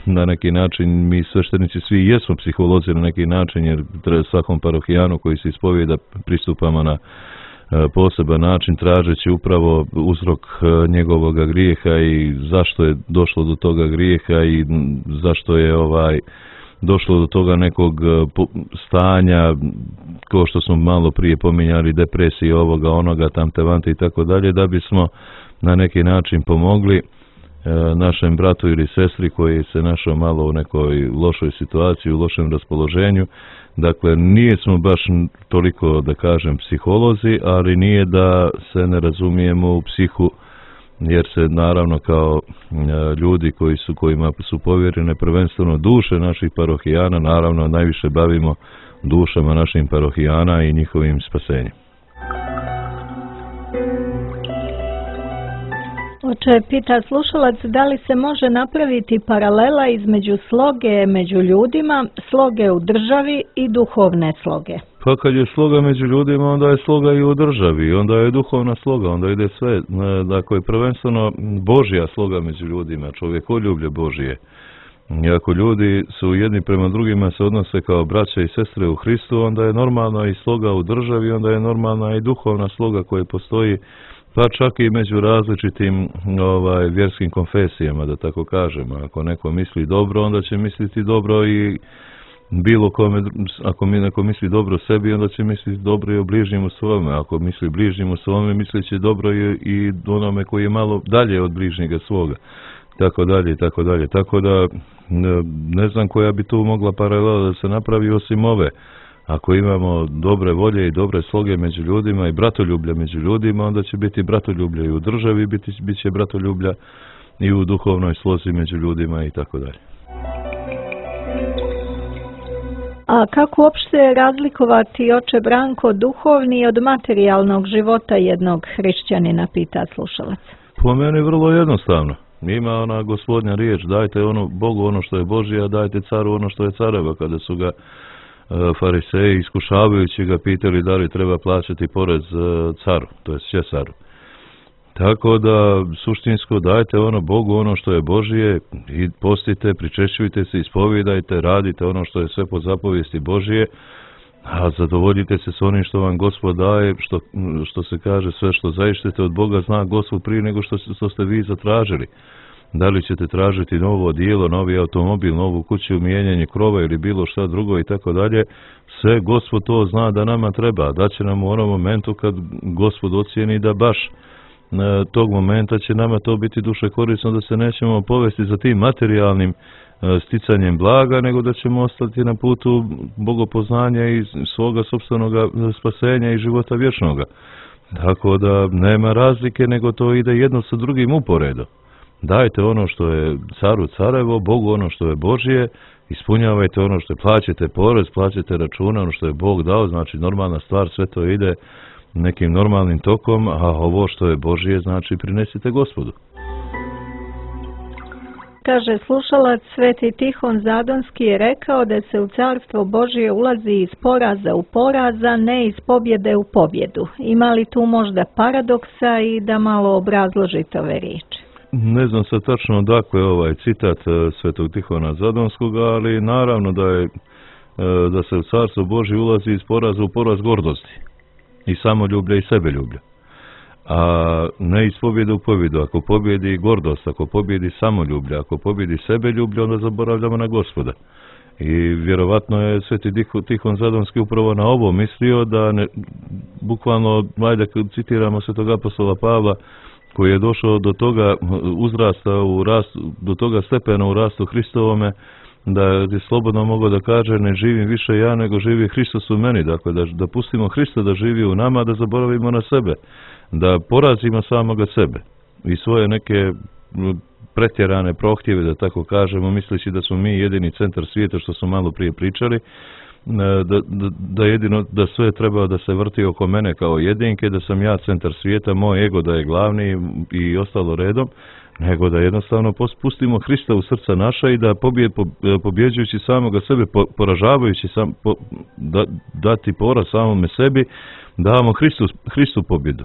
na neki način, mi sveštenici svi jesmo psiholozi na neki način, jer svakom parohijanu koji se ispovijeda pristupamo na poseban način, tražeći upravo uzrok njegovog grijeha i zašto je došlo do toga grijeha i zašto je došlo do toga nekog stanja, kao što smo malo prije pominjali, depresije, ovoga, onoga, tamte, vante i tako dalje, da bismo na neki način pomogli našem bratu ili sestri koji se našao malo u nekoj lošoj situaciji, u lošem raspoloženju. Dakle, nije smo baš toliko, da kažem, psiholozi, ali nije da se ne razumijemo u psihu, jer se naravno kao ljudi kojima su povjerene prvenstveno duše naših parohijana, naravno najviše bavimo dušama naših parohijana i njihovim spasenjem. Oče, pita slušalac, da li se može napraviti paralela između sloge među ljudima, sloge u državi i duhovne sloge? Pa kad je sloga među ljudima, onda je sloga i u državi, onda je duhovna sloga, onda ide sve. Dakle, prvenstveno Božja sloga među ljudima, čovjekoljublje Božije. I ako ljudi su jedni prema drugima se odnose kao braća i sestre u Hristu, onda je normalna i sloga u državi, onda je normalna i duhovna sloga koja postoji, pa čak i među različitim vjerskim konfesijama, da tako kažemo. Ako neko misli dobro, onda će misliti dobro i bilo kome, ako neko misli dobro sebi, onda će misliti dobro i o bližnjemu svome. Ako misli bližnjemu svome, mislit će dobro i onome koji je malo dalje od bližnjega svoga. Tako dalje i tako dalje. Tako da ne znam koja bi tu mogla paralela da se napravi osim ove. Ako imamo dobre volje i dobre sloge među ljudima i bratoljublja među ljudima, onda će biti bratoljublja i u državi, bit će bratoljublja i u duhovnoj slozi među ljudima i tako dalje. A kako uopšte razlikovati, oče Branko, duhovni od materijalnog života jednog hrišćanina, pita slušalac? Po meni vrlo jednostavno. Ima ona Gospodnja riječ, dajte Bogu ono što je Božje, a dajte caru ono što je careva. Kada su ga fariseji iskušavajući ga pitali da li treba plaćati porez caru, to je Cesaru. Tako da suštinsko dajte Bogu ono što je Božje i postite, pričešćujte se, ispovijedajte, radite ono što je sve po zapovijesti Božje, a zadovoljite se s onim što vam Gospod daje, što se kaže, sve što zaištete od Boga zna Gospod prije nego što ste vi zatražili. Da li ćete tražiti novo odijelo, novi automobil, novu kuću, mijenjanje krova ili bilo šta drugo i tako dalje, sve Gospod to zna da nama treba. Da će nam u onom momentu kad Gospod ocijeni da baš tog momenta će nama to biti duše korisno, da se nećemo povesti za tim materijalnim sticanjem blaga, nego da ćemo ostati na putu bogopoznanja i svoga sopstvenog spasenja i života vječnoga. Tako da nema razlike, nego to ide jedno sa drugim uporedo. Dajte ono što je caru carevo, Bogu ono što je Božje, ispunjavajte ono što je, plaćate porez, plaćate računa, ono što je Bog dao, znači normalna stvar, sve to ide nekim normalnim tokom, a ovo što je Božje, znači prinesite Gospodu. Kaže slušalac, Sveti Tihon Zadonski je rekao da se u Carstvo Božje ulazi iz poraza u poraz, a ne iz pobjede u pobjedu. Ima li tu možda paradoksa i da malo obrazložite ove riječi? Ne znam sad tačno odakle ovaj citat Svetog Tihona Zadonskog, ali naravno da se u Carstvo Božje ulazi iz poraza u poraz gordosti i samoljublja i sebeljublja. A ne iz pobjede u pobjedu. Ako pobjedi gordost, ako pobjedi samoljublje, ako pobjedi sebeljublje, onda zaboravljamo na Gospoda. I vjerovatno je Sveti Tihon Zadonski upravo na ovo mislio, da bukvalno, ajde citiramo Svetog apostola Pavla, koji je došao do toga uzrasta do toga stepena u rastu Hristovome, da je slobodno mogao da kaže ne živim više ja, nego živi Hristos u meni. Dakle, da pustimo Hrista da živi u nama, da zaboravimo na sebe, da porazimo samoga sebe i svoje neke pretjerane prohtjeve, da tako kažemo, misleći da smo mi jedini centar svijeta, što smo malo prije pričali, da sve treba da se vrti oko mene kao jedinke, da sam ja centar svijeta, moj ego da je glavni i ostalo redom, nego da jednostavno pustimo Hrista u srca naša i da pobjeđujući samoga sebe, poražavajući dati poraz samome sebi, damo Hristu pobjedu.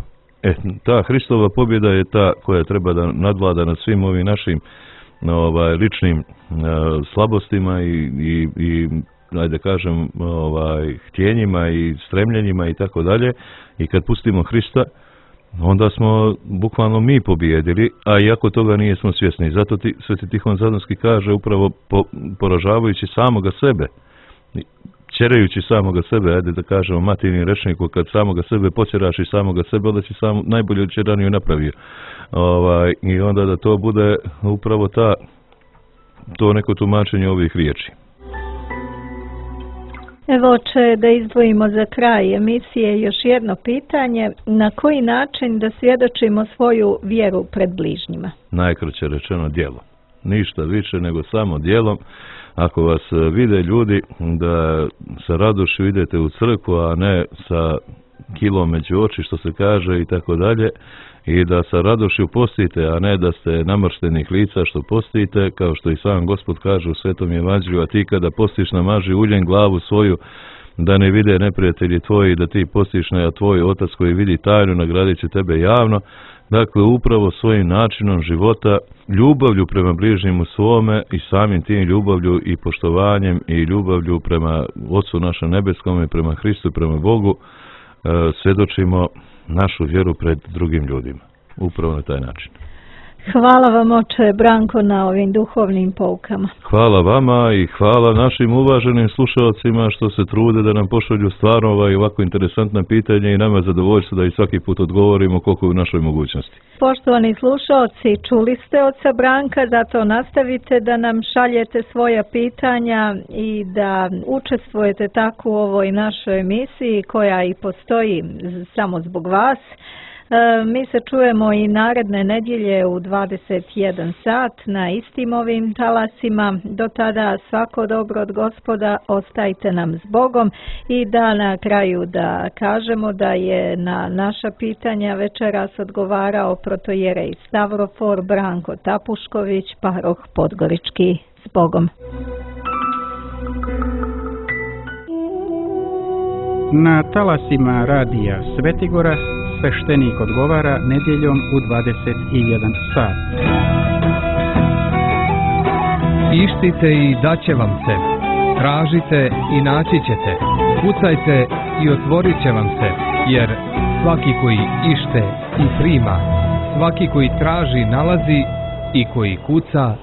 Ta Hristova pobjeda je ta koja treba da nadvlada nad svim ovim našim ličnim slabostima i ajde kažem htjenjima i stremljenjima i tako dalje. I kad pustimo Hrista, onda smo bukvalno mi pobijedili, a iako toga nismo svjesni. Zato Sveti Tihon Zadonski kaže upravo poražavajući samoga sebe, ćerajući samoga sebe, ajde da kažemo matijnim rečniku, kad samoga sebe počeraš i samoga sebe, onda si sam najbolju ćeraniju napravio. I onda da to bude upravo to neko tumačenje ovih riječi. Evo, oče, da izdvojimo za kraj emisije još jedno pitanje. Na koji način da svjedočimo svoju vjeru pred bližnjima? Najkraće rečeno djelo. Ništa više nego samo djelom. Ako vas vide ljudi da sa radošću idete u crkvu, a ne sa kilom među oči, što se kaže, i tako dalje, i da sa radošću postite, a ne da ste namrštenih lica što postite, kao što i sam Gospod kaže u Svetom Evanđelju, a ti kada postiš namaži uljem glavu svoju, da ne vide neprijatelji tvoji, da ti postiš, a tvoj Otac koji vidi tajnu nagradit će tebe javno. Dakle, upravo svojim načinom života, ljubavlju prema bližnjemu svome i samim tim ljubavlju i poštovanjem i ljubavlju prema Otcu našem nebeskom i prema Hristu i prema Bogu, svjedočimo našu vjeru pred drugim ljudima. Upravo na taj način. Hvala vam, oče Branko, na ovim duhovnim poukama. Hvala vama i hvala našim uvaženim slušalcima što se trude da nam pošalju stvarno ovako interesantna pitanja i nama zadovoljstvo da i svaki put odgovorimo koliko je u našoj mogućnosti. Poštovani slušalci, čuli ste oca Branka, zato nastavite da nam šaljete svoja pitanja i da učestvujete tako u ovoj našoj emisiji koja i postoji samo zbog vas. Mi se čujemo i naredne nedjelje u 21 sat na istim ovim talasima. Do tada svako dobro od Gospoda, ostajte nam s Bogom i da na kraju da kažemo da je na naša pitanja večeras odgovarao protojerej Stavrofor Branko Tapušković, paroh Podgorički. S Bogom. Na talasima radija Svetigora sveštenik odgovara nedjeljom u 21 sat. Ištite i daće vam se. Tražite i naći ćete. Kucajte i otvorit će vam se. Jer svaki koji ište i prima, svaki koji traži nalazi i koji kuca,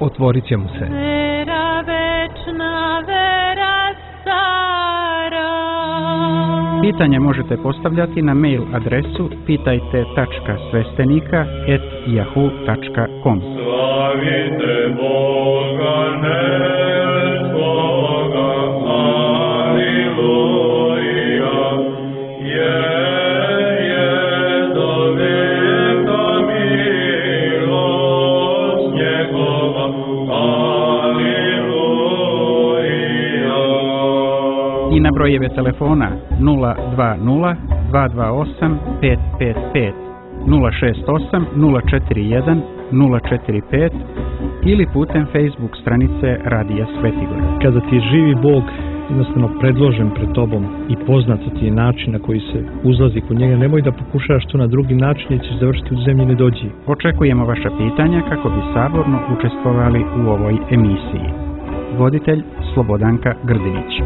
otvorit će mu se. Vera večna, vera stara. Pitanje možete postavljati na mail adresu pitajte.svestenika@yahoo.com. Slavite Boga nebskoga, aleluja, jer je do vijeka milost njegova, aleluja. I na brojeve telefona 020 228 555, 068 041 045 ili putem Facebook stranice Radija Svetigora. Kada ti je živi Bog jednostavno predložen pred tobom i poznat ti je način na koji se uzlazi kod njega, nemoj da pokušavaš to na drugi način jer ćeš završiti u zemlji nedođi. Očekujemo vaša pitanja kako bi saborno učestvovali u ovoj emisiji. Voditelj Slobodanka Grdinić.